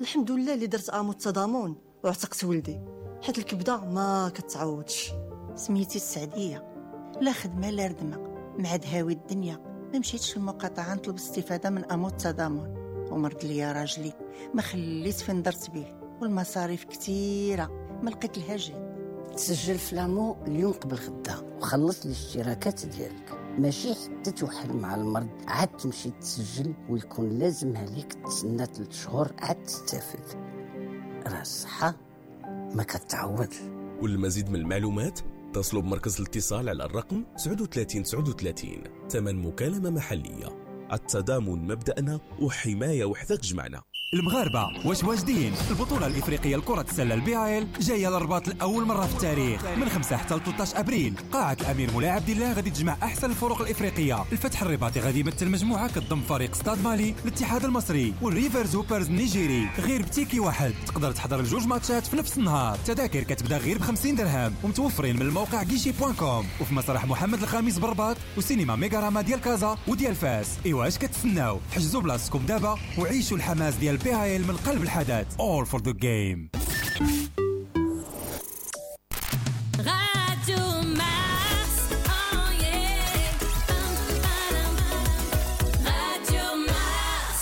الحمد لله اللي درت AMO التضامن وعتقت ولدي، حيت الكبده ما كتعوضش. سميتي السعديه، لا خدمة لا ردمه، مع دهاوي الدنيا ما مشيتش للمقاطعه نطلب استفاده من AMO التضامن، ومرض ليا راجلي ما خليت فين درت به، والمصاريف كثيرة ما لقيت لها جهد. تسجل في l'AMO اليوم قبل غدا وخلص الاشتراكات ديالك، ماشي حتى توحل مع المرض عاد تمشي تسجل ويكون لازم عليك تسنى ثلاث شهور عاد تستافد. راه الصحة ما كتعوضش. والمزيد من المعلومات اتصلوا بمركز الاتصال على الرقم تسعة وثلاثين تسعة وثلاثين، ثمن مكالمة محلية. التضامن مبدأنا وحماية وحدة تجمعنا. المغاربة واش واجدين؟ البطولة الإفريقية لكرة السلة ال BAL جاية للرباط لأول مرة في التاريخ من خمسة حتى ثلاثة عشر أبريل. قاعة الأمير مولاي عبد الله غادي تجمع أحسن الفرق الإفريقية. الفتح الرباطي غادي يمثل مجموعة كتضم فريق ستاد مالي، الاتحاد المصري والريفرز هوبرز النيجيري. غير ب ticket واحد تقدر تحضر الجوج ماتشات في نفس النهار. تذاكر كتبدا غير ب خمسين درهم ومتوفرين من الموقع guichet point com وفي مسرح محمد الخامس بالرباط وسينما ميغاراما ديال كازا وديال فاس. إيوا اش كتسناو؟ حجزوا بلاصتكم دابا وعيشوا الحماس ديال BAL من قلب الحدث. All for the game. Radio Mars, oh yeah. Radio Mars.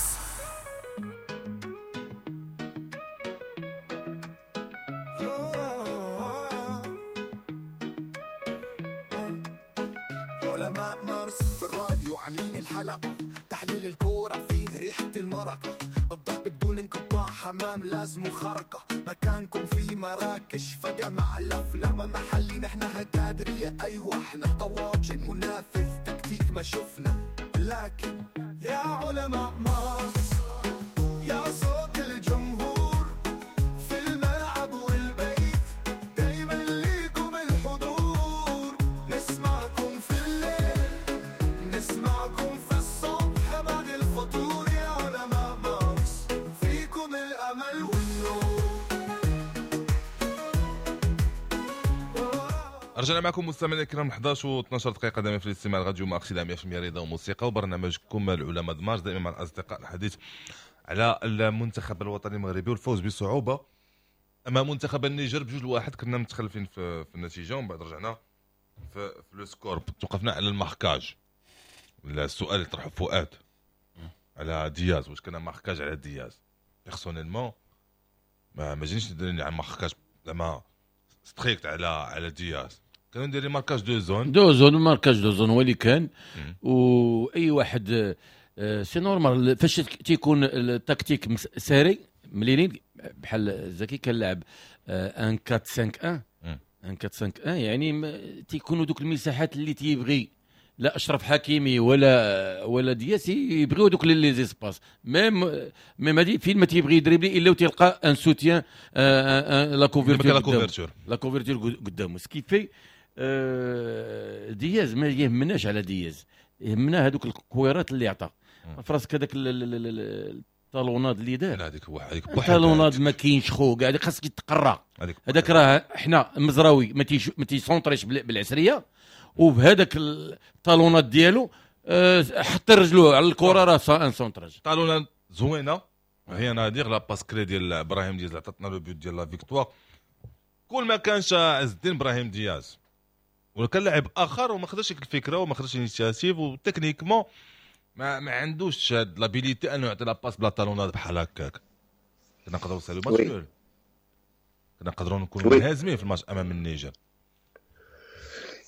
علماء مارس في الراديو عاملين الحلقة، تحليل الكورة فيه ريحة المرق، الضرب بدون انقطاع، حمام لازم خرقة، مكانكم في مراكش فجأة مع الأفلام محلي، نحن هتادرية أيوة احنا طواجن منافذ تكتيك ما شفنا، لكن يا علماء مارس يا صوت الجمهور في الملعب والبيت، دايما ليكم الحضور، نسمعكم في الليل نسمعكم في الصبح بعد الفطور، يا علماء مارس فيكم الأمل والنور. رجعنا معكم مستمعينا الكرام أحد عشر و اثنا عشر دقيقة دائما في الاستماع لراديو مارس مية بالمية رضا وموسيقى وبرنامجكم العلماء مارس، دائما مع الأصدقاء الحديث على المنتخب الوطني المغربي والفوز بصعوبة أمام منتخب النيجر بجوج لواحد. كنا متخلفين في, في النتيجة ومن بعد رجعنا في, في le score. توقفنا على ال marquage. السؤال اللي طرحه فؤاد على دياز، واش كان marquage على دياز؟ personnellement ما ما جينيش ندير على marquage زعما strict على على دياز، كانوا ندير marquage de zone de zone marquage de zone هو اللي كان. واي واحد c'est normal فاش تيكون التكتيك serré مليلين بحال زكي كان لعب واحد أربعة خمسة واحد واحد أربعة خمسة واحد، يعني تيكونوا دوك المساحات اللي تيبغي لا اشرف حكيمي ولا ولا دياس يبغيو دوك les espaces، même même هادي فين ما تيبغي يدريبلي الا وتلقى un soutien la couverture la couverture قدامه. ce qui fait دياز ما يهمناش على دياز، يهمنا هذوك الكويرات اللي عطى فراسك هذاك ال talonnade اللي دار هذيك هذيك ال talonnade ما كاينش خو كاع خاصك تقرا هذاك. راه حنا المزراوي ما تيش ما تيسونطريش بالعسريه، وبهذاك ال talonnade ديالو حط رجلو على الكره راه un centrage. talonnade زوينة هي نادير la passe clé ديال ابراهيم دياز عطاتنا le but ديال la victoire. كل ما كانش عز الدين ابراهيم دياز ولا كان لاعب اخر وما خداش الفكرة وما خداش l'initiative و techniquement ما ما عندوش هاد l'habilité انه يعطي la passe بلا talonnade بحال هكاك، كنا نقدروا نسالو ماتش nul، كنا نقدروا نكونوا منهزمين في الماتش امام النيجر.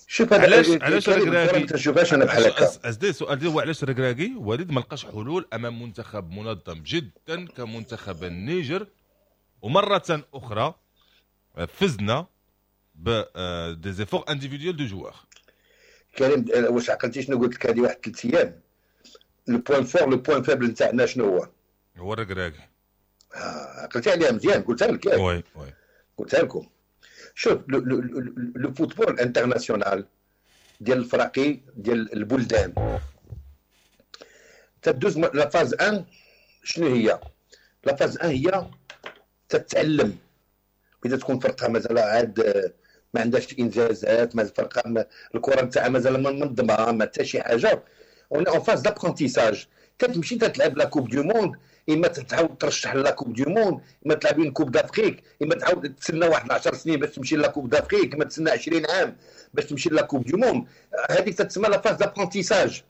شوف علاش علاش الركراكي ما تشوفهاش انا بحال هكا. ازدي السؤال ديال هو علاش الركراكي وليد ما لقاش حلول امام منتخب منظم جدا كمنتخب النيجر، ومرة اخرى فزنا ب des efforts individuels de joueurs. كريم واش عقلتي شنو قلت لك هذه واحد ثلاث ايام؟ le point fort le point faible نتاعنا شنو هو؟ هو الركراكي. آه عقلتي عليها مزيان، قلتها لك ياك؟ oui oui قلتها لكم. شوف le football international ديال الفراقي ديال البلدان تدوز la phase واحد. شنو هي la phase واحد؟ هي تتعلم اذا تكون فرقه مازال عاد ما عندهاش انجازات، مازال فرقه الكره نتاعها مازال ما منظمة ما حتى شي حاجة. on est en phase d'apprentissage. تتمشي تتلعب la Coupe du Monde، اما تعاود ترشح la Coupe du Monde، اما تلعب une Coupe d'Afrique، اما تعاود تسنى واحد عشر سنين باش تمشي la Coupe d'Afrique، اما تسنى عشرين عام باش تمشي la Coupe du Monde. هذيك تتسمى la phase d'apprentissage.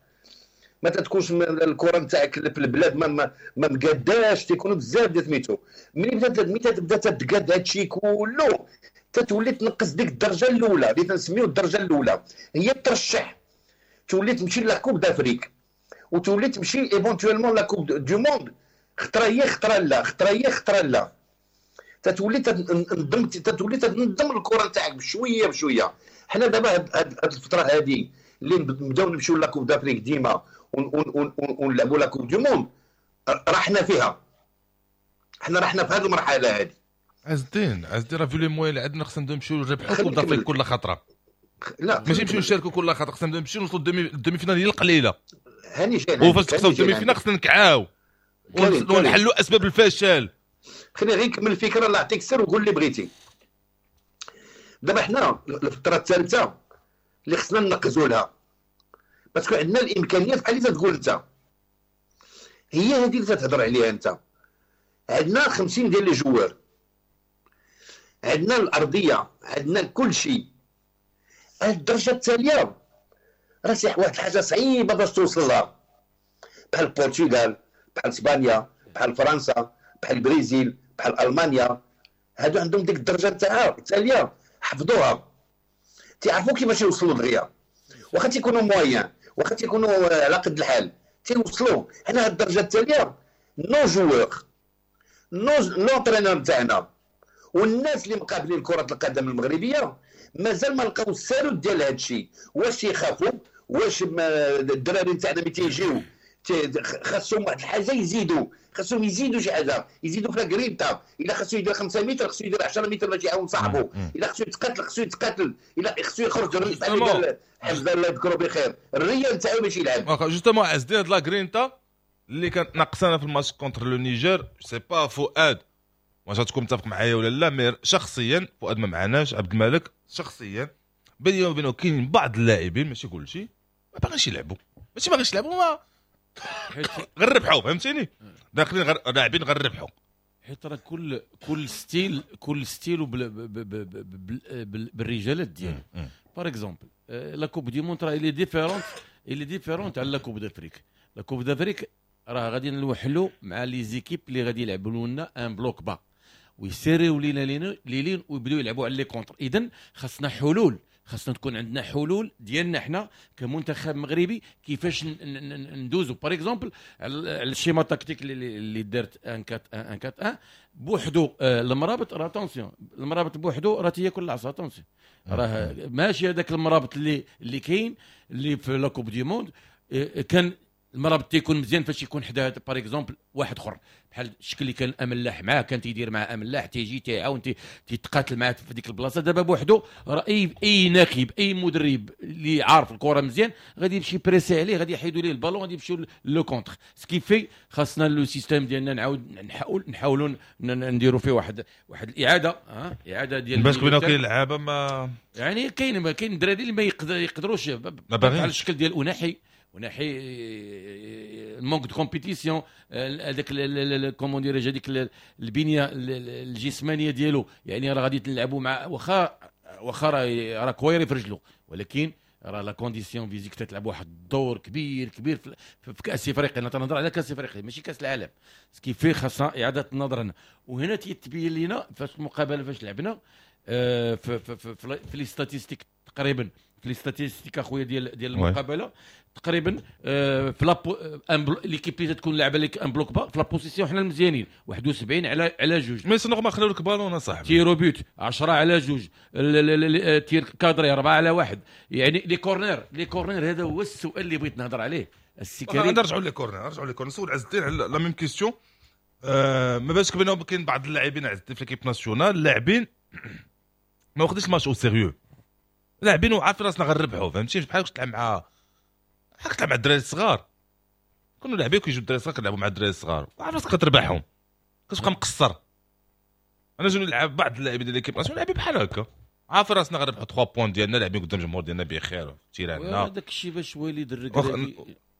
ما تتكونش الكره نتاعك في البلاد ما ما, ما مقاداش، تيكونوا بزاف ديال سميتو. ملي بدات ملي تبدا تتقاد هادشي كله تتولي تنقص ديك الدرجة الاولى اللي تنسميو الدرجة الاولى هي ترشح، تولي تمشي la Coupe d'Afrique وتولي تمشي éventuellement la Coupe du Monde، خطره هي خطره لا، خطره هي خطره لا. تتولي تنظم تتولي تنظم الكره نتاعك بشوية بشوية. حنا دابا هاد الفترة هادي اللي نبداو نمشيو la Coupe d'Afrique ديما ونلعبوا la Coupe du Monde، رحنا فيها، حنا رحنا في هذه المرحلة هذه. عز الدين عز الدين راه في les moyens اللي عندنا خصنا نمشيو نربحوا Coupe d'Afrique كل خطره. لا ماشي نمشيو نشاركوا كل خطره، خصنا نمشيو نوصلوا ال demi-finale هي القليلة. هاني جاي وفاش تخسروا ال demi-finale خصنا نكعاو ونحلوا اسباب الفشل. خليني غير نكمل الفكرة الله يعطيك السر وقول اللي بغيتي. دابا حنا الفترة الثالثة اللي خصنا ننقزوا لها parce que عندنا الامكانيات بحال اللي تقول انت، هي هذه اللي تتهضر عليها انت. عندنا خمسين ديال les joueurs، عندنا الارضية، عندنا كل شيء. الدرجة التالية راه واحد الحاجة صعيبة باش توصل لها، بحال البرتغال، بحال اسبانيا، بحال فرنسا، بحال البرازيل، بحال المانيا. هادو عندهم ديك الدرجة تاعها التالية حفظوها، تيعرفوا كيفاش يوصلوا دغيا، واخا تيكونوا moyens، واخا تيكونوا على قد الحال تيوصلوا. حنا هاد الدرجة التالية nos joueurs، nos l'entraîneur تاعنا والناس اللي مقابلين كره القدم المغربية مازال ما لقاو السالوت ديال هاد الشيء. واش يخافوا؟ واش الدراري تاعنا ملي تيجيو خاصهم واحد الحاجة يزيدوا، خاصهم يزيدوا شي حاجة، يزيدوا في الكرينتا. الا خاصو يدير خمسة متر خاصو يدير عشرة متر باش يعاون صاحبه، الا خاصو يتقاتل خاصو يتقاتل، الا خاصو يخرج بحال قال حمزة الله يذكره بخير الريال تاعو باش يلعب. justement عز الدين هاد la grinta اللي كانت ناقصانا في الماتش contre le Niger، sais pas فؤاد واش غتكون متفق معايا ولا لا، mais شخصيا فؤاد ما معناش، عبد الملك شخصيا بيني وبينه كاين بعض اللاعبين ماشي كلشي ما باغيش يلعبوا، ماشي باغيش يلعبوا ما غير ربحوا، فهمتيني؟ داخلين غير لاعبين غير ربحوا. حيت راه كل كل style كل style بالرجالات ديالو. par exemple la Coupe du Monde راه elle est différente، elle est différente على la Coupe d'Afrique. la Coupe d'Afrique راه غادي نوحلوا مع les équipes اللي غادي يلعبوا لنا un bloc bas ويسيريو لينا les lignes ويبداو يلعبوا على les contres. اذا خاصنا حلول، خاصنا تكون عندنا حلول ديالنا حنا كمنتخب مغربي كيفاش ندوزو. par exemple على ال schéma tactique اللي دارت واحد أربعة واحد أربعة واحد بوحدو، المرابط راه attention، المرابط بوحدو راه تياكل العصا. attention راه ماشي هذاك المرابط اللي اللي كاين اللي في la Coupe du Monde. كان المرابط تيكون مزيان فاش يكون حدا par exemple واحد اخر بحال الشكل اللي كان املاح معاه، كان تيدير مع املاح تيجي تيعاون تيتقاتل معاه في ديك البلاصة. دابا بوحدو راه اي اي ناخب اي مدرب اللي عارف الكره مزيان غادي يمشي presser عليه، غادي يحيدوا ليه البالون، غادي يمشيو le contre. ce qui fait خاصنا le système ديالنا نعاود نحاول نحاولوا نديروا فيه واحد واحد الاعادة، ها اعاده ديال باش كاين كاين لعابه ما يعني كاين كاين دراري اللي ما يقدروش على الشكل ديال أناحي ونحي manque de compétition، هذاك comment dirais-je هذيك البنية الجسمانية ديالو. يعني راه غادي تلعبوا مع واخا واخا راه كويري في رجلو، ولكن راه la condition physique تتلعب واحد الدور كبير كبير في, في كاس افريقيا. انا تنهضر على كاس افريقيا ماشي كاس العالم. ce qui fait خاصنا اعاده النظر هنا. وهنا تيتبين لينا فاش المقابلة فاش لعبنا في في في, في les statistiques تقريبا، في les statistiques اخويا ديال ديال المقابلة تقريبا في la l'équipe اللي تكون لاعبه لك en bloc bas في la possession حنا المزيانين واحد وسبعين على على جوج. mais c'est normal خلاو لك بالون اصاحبي. tirs au but عشرة على جوج، tirs cadrés أربعة على واحد. يعني les corners les corners هذا هو السؤال اللي بغيت نهضر عليه السي كريم. نرجعوا les corners، نرجعوا les corners. نسول عز الدين على la même question. ما بالك بانه كاين بعض اللاعبين عز الدين في l'équipe nationale اللاعبين ما واخدينش ال match au sérieux، لاعبين وعارفين راسنا غنربحوا، فهمتي؟ بحال تلعب مع بحال تلعب مع الدراري الصغار، كانوا لاعبين كيجيو الدراري الصغار كنلعبوا مع الدراري الصغار وعارف راسك كتربحهم، كتبقى مقصر. انا جوني نلعب بعض اللاعبين ديال l'équipe nationale لاعبين بحال هكا، عارف راسنا غنربحوا ثلاثة points ديالنا، لاعبين قدام الجمهور ديالنا بخير تيراننا. هذاك الشيء باش وليد الركراكي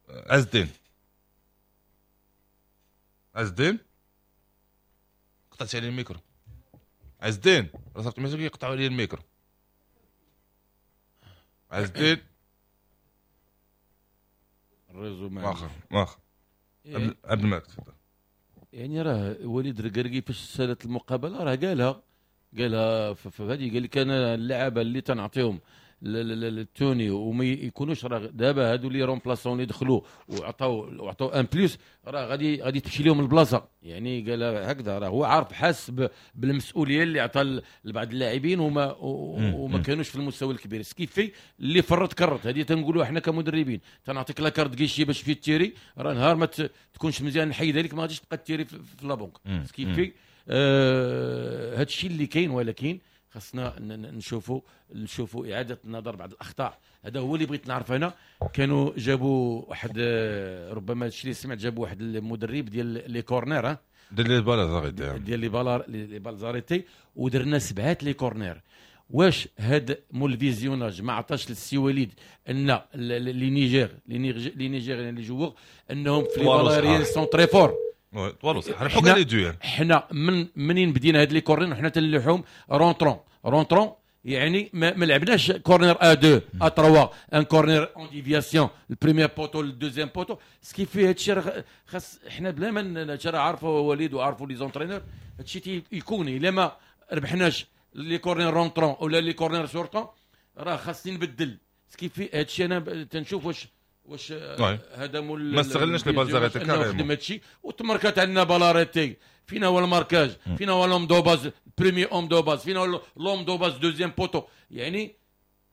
عز الدين عز الدين قطعتي عليه الميكرو. عز الدين راه صافي ماشي كيقطعوا عليه الميكرو. عز الدين ال réseau ما واخا واخا عبد الملك تفضل. يعني راه وليد الركراكي فاش سالت المقابلة راه قالها قالها في هذه، قال لك انا اللعابه اللي تنعطيهم ال tenue وما يكونوش راه دابا هادو les remplaçants اللي دخلوا وعطاو وعطاو un plus راه غادي غادي تمشي لهم البلاصة. يعني قال هكذا راه هو عارف حاس بالمسؤولية اللي عطى لبعض اللاعبين وما وما كانوش في المستوى الكبير. ce qui fait اللي فرط كرت هذه تنقولوا احنا كمدربين تنعطيك la carte guichet باش في tirer، راه نهار ما تكونش مزيان نحيدها لك ما غاديش تبقى tirer في la banque. ce qui fait آه هذا الشيء اللي كاين، ولكن خاصنا نشوفوا نشوفوا اعاده النظر بعض الاخطاء. هذا هو اللي بغيت نعرف انا. كانوا جابوا واحد، ربما الشيء اللي سمعت، جابوا واحد المدرب ديال les corners ديال les balles arrêtées ديال les balles les balles arrêtées، ودرنا سبعات les corners. واش هاد مول ال visionnage ما عطاش للسي وليد ان les Niger les Nigériens les joueurs انهم في les balles aériennes sont très forts؟ طوالو صح ربحوا كاع les duels. حنا من منين بدينا هاد les corners وحنا تنلوحهم rentrant rentrant، يعني ما, ما لعبناش corner à deux à trois، un corner en déviation ال premier poteau ال deuxième poteau. ce qui fait هادشي راه خاص حنا بلا ما هادشي راه عارفه وليد وعارفوا les entraîneurs، هادشي يكون الا ما ربحناش les corners rentrants ولا les corners sortants راه خاصني نبدل. ce qui fait هادشي انا تنشوف واش واش هذا مول ما استغلناش les balles arrêtées carrément خدم هادشي وتمركات عندنا balle arrêtée. فينا هو ال marquage؟ فينا هو l'homme de base premier homme de base؟ فينا هو l'homme de base deuxième poteau؟ يعني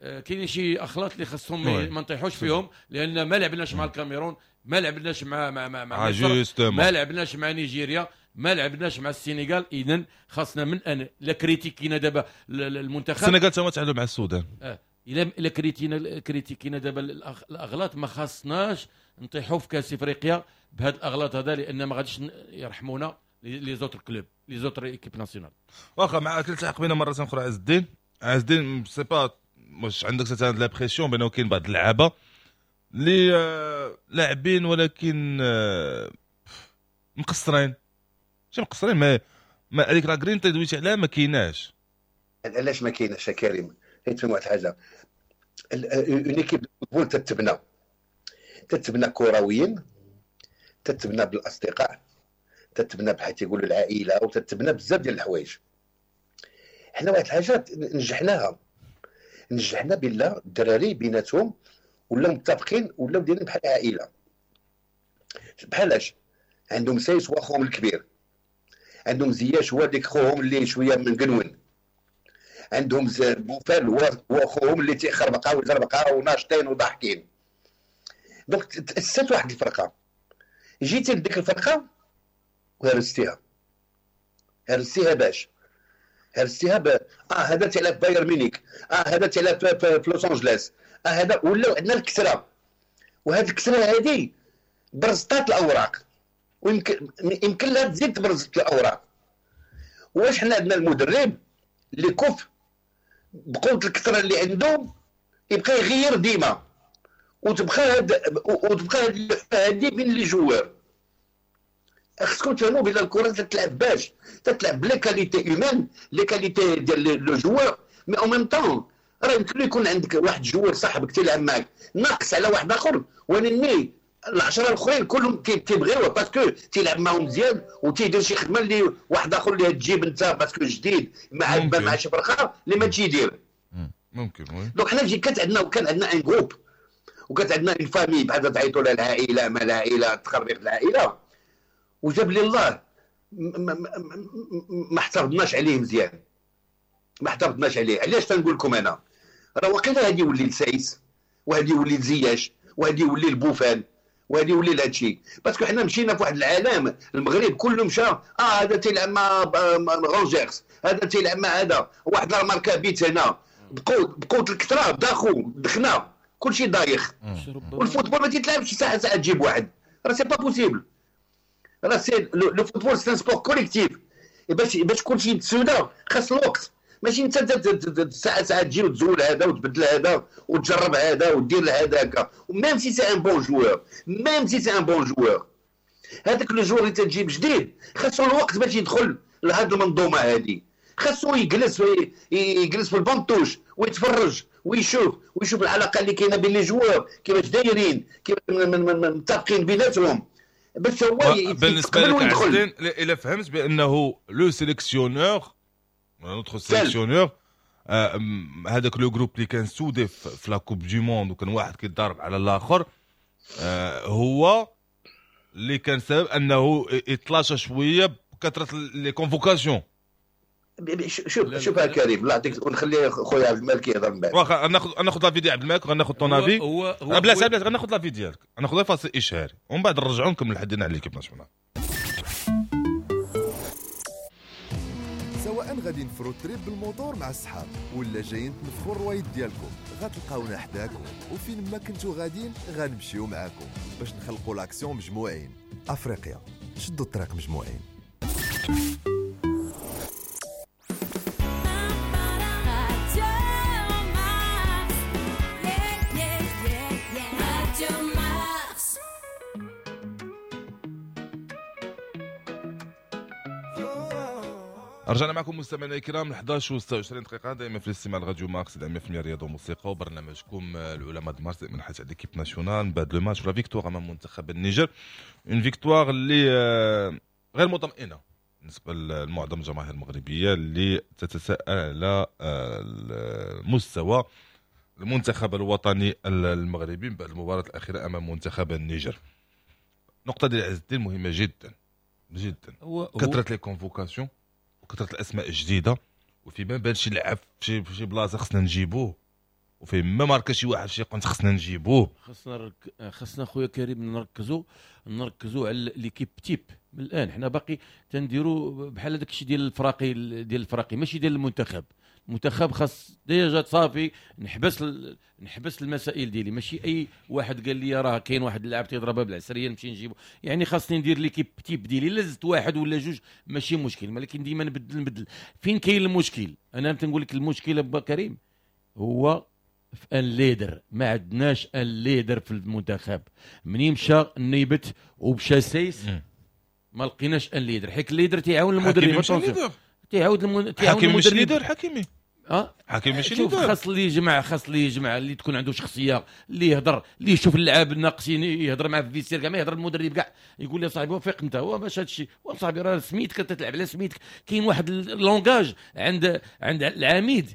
كاينين شي اخلاط اللي خاصهم ما نطيحوش فيهم، لان ما لعبناش مع الكاميرون، ما لعبناش مع مع مع, مع مصر، ما لعبناش مع نيجيريا، ما لعبناش مع السنغال. اذا خاصنا من الان لا critiquينا دابا المنتخب. السنغال تا تعادلوا مع السودان. اه الا الا critiquينا critiquينا دابا الاغلاط، ما خاصناش نطيحوا في كاس افريقيا بهاد الاغلاط هذا، لان ما غاديش يرحمونا les autres clubs، les autres équipes nationales. واخا معاك التحق بنا مرة اخرى عز الدين. عز الدين، sais pas واش عندك cette l'impression بانه كاين بعض اللعابه اللي آه، لاعبين ولكن آه، مقصرين، ماشي مقصرين، ما ما هذيك la grinta دويتي عليها ما كايناش. علاش ما كايناش يا كريم؟ حيت واحد الحاجة، une équipe football تتبنى تتبنى كرويا، تتبنى بالاصدقاء، تتبنى بحال تيقولوا العائله، وتتبنى بزاف ديال الحوايج. حنا واحد الحاجة نجحناها، نجحنا بالله الدراري بيناتهم ولاو متفقين، ولاو دايرين بحال عائله. بحالاش عندهم سايس هو خوهم الكبير، عندهم زياش هو ديك خوهم اللي شوية من قنون، عندهم بوفال هو هو خوهم اللي تيخربقا ويزربقا وناشطين وضاحكين. donc تاسست واحد الفرقه، جيتي لديك الفرقة وهرستيها. هرستيها باش هرستيها ب... اه هذا تيلعب بايرن ميونيك، اه هذا تيلعب في, في لوس انجلوس، اه هذا ولاو عندنا الكثره، وهذه الكثرة هذه برزطات الاوراق، ويمكن يمكن لها تزيد تبرزط الاوراق. واش حنا عندنا المدرب اللي كف بقوة الكثرة اللي عنده يبقى يغير ديما، وتبقى هاد وتبقى هاد هادي بين les joueurs؟ خصكم تفهموا بان الكره تتلعب باش تتلعب ب les qualités humaines، les qualités ديال le joueur، mais en même temps راه يمكن يكون عندك واحد joueur صاحبك تيلعب معاك ناقص على واحد اخر، ولكن العشرة الاخرين كلهم تيبغيوه parce que تيلعب معاهم مزيان وتيدير شي خدمة اللي واحد اخر اللي تجيب انت parce que جديد مع مع شي فرقه اللي ما تيدير. ممكن oui. donc حنا كانت عندنا وكان عندنا un groupe وكانت عندنا une famille، بحال تعيطوا لها العائله، ما العائله، تخربيق العائله، وجاب لي الله ما احتفظناش عليه مزيان، ما احتفظناش عليه. علاش تنقول لكم انا راه واقيلا هادي يولي لسايس وهادي يولي لزياش وهادي يولي لبوفان وهادي يولي لهادشي، parce que حنا مشينا في واحد العالم، المغرب كله مشى، اه هذا تيلعب مع رونجيرس، هذا تيلعب مع هذا، واحد راه ماركا بيت هنا، بقوة بقوة الكثرة داخو دخنا كلشي دايخ. وال football ما تيتلعبش ساعة ساعة تجيب واحد، راه c'est pas possible. راه c'est le football، c'est un sport collectif. باش باش كلشي يتسودا خاص الوقت، ماشي انت ساعة ساعة تجي وتزول هذا وتبدل هذا وتجرب هذا ودير هذاك، même si c'est un bon joueur، même si c'est un bon joueur. هذاك le joueur اللي تجيب جديد خاصو الوقت باش يدخل لهاد المنظومة هذه، خاصو يجلس يجلس في ال banc de touche ويتفرج ويشوف ويشوف العلاقة اللي كاينه بين les joueurs كيفاش دايرين، كيف متفقين بيناتهم باش هو بالنسبة لك عز الدين الا فهمت بانه le sélectionneur notre sélectionneur هذاك le groupe اللي كان soudé في la Coupe du Monde وكان واحد كيتضارب على الاخر، هو اللي كان سبب انه يتلاشى شوية بكثرة les convocations. شوف شوف يا كريم الله يعطيك، ونخلي خويا عبد الملك يهضر من بعد. واخا ناخذ ناخذ l'avis ديال عبد الملك وغناخذ ton avis. هو هو بلاش بلاش غناخذ l'avis ديالك، غناخذ فاصل اشهاري ومن بعد نرجعوا نكمل حدينا على l'équipe nationale. سواء غادي ن road trip بالموتور مع الصحاب ولا جايين تنفخوا الروايد ديالكم، غتلقاونا حداكم وفين ما كنتو غاديين غنمشيو معاكم باش نخلقوا l'action مجموعين. افريقيا شدوا الطريق مجموعين. رجعنا معكم مستمعينا الكرام احد عشر وستة وعشرين دقيقة دائما في الاستماع لراديو مارس مية بالمية رياضة وموسيقى وبرنامجكم العلماء د مارس من حيث l'équipe nationale بعد le match la victoire امام منتخب النيجر، une victoire اللي غير مطمئنة بالنسبة لمعظم الجماهير المغربية اللي تتساءل على مستوى المنتخب الوطني المغربي بعد المباراة الأخيرة امام منتخب النيجر. نقطة ديال عز الدين مهمة جدا جدا، كثرة les convocations وكثرة الاسماء الجديدة، وفي ما بان شي لعب في شي بلاصة خصنا نجيبوه، وفي ما ماركا شي واحد شي قنت خصنا نجيبوه. خصنا رك... خصنا خويا كريم نركزوا نركزوا على l'équipe type من الان. حنا باقي تنديروا بحال هذاك الشيء ديال الفراقي ديال الفراقي ماشي ديال المنتخب. المنتخب خاص déjà صافي نحبس ال... نحبس المسائل ديالي، ماشي اي واحد قال لي راه كاين واحد اللاعب تيضربها بالعسريه نمشي نجيبو. يعني خاصني ندير l'équipe type ديالي، لا زدت واحد ولا جوج ماشي مشكل، ولكن ديما نبدل نبدل. فين كاين المشكل؟ انا تنقول لك المشكل با كريم هو في un leader. ما عندناش un leader في المنتخب. منين مشى النيبت ومشى سايس ما لقيناش un leader، حيت ال leader تيعاون المدرب، تيعاود المن... تيعاون المدرب. leader حكيمي اه حكيمي ماشي leader. خاص اللي يجمع، خاص اللي يجمع، اللي تكون عنده شخصية، اللي يهضر، اللي يشوف اللعاب الناقصين يهضر معاه في ال vestiaire كاع، ما يهضر المدرب كاع يقول له صاحبي وفيق انت، هو باش هادشي صاحبي راه سميتك تتلعب على سميتك. كاين واحد ال langage عند عند العميد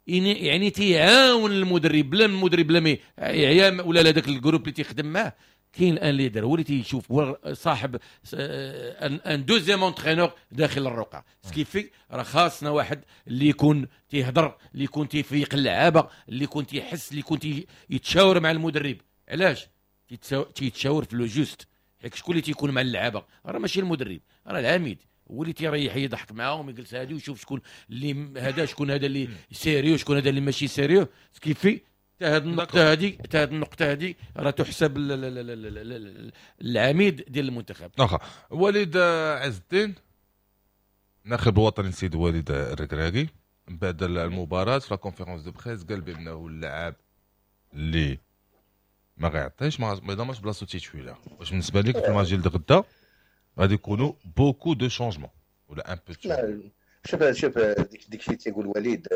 يعني تيعاون المدرب، بلا المدرب بلا ما يعيا ولا لا داك ال groupe اللي تيخدم معاه. كاين un leader هو اللي تيشوف، هو صاحب un deuxième entraîneur داخل الرقعة. ce qui fait راه خاصنا واحد اللي يكون تيهضر، اللي يكون تيفيق اللعابه، اللي يكون تيحس، اللي يكون يتشاور مع المدرب. علاش تيتشاور في le geste؟ حيت شكون اللي تيكون مع اللعابه؟ راه ماشي المدرب، راه العميد هو اللي تيريح يضحك معاهم، يجلس هادي ويشوف شكون اللي هذا، شكون هذا اللي sérieux، شكون هذا اللي ماشي sérieux. ce qui fait حتى هذه النقطة هذه، حتى هذه النقطة هذه راه تحسب العميد ديال المنتخب. واخا وليد عز الدين الناخب الوطني السيد وليد الركراكي بعد المباراة في la conférence de presse قال بأنه اللاعب اللي ما غيعطيش ما يضمنش بلاصتو titulaire. واش بالنسبة لك في الماتش ديال غدا غادي يكونوا beaucoup de changements ولا un peu؟ لا شوف شوف ديك ديك الشيء تيقول وليد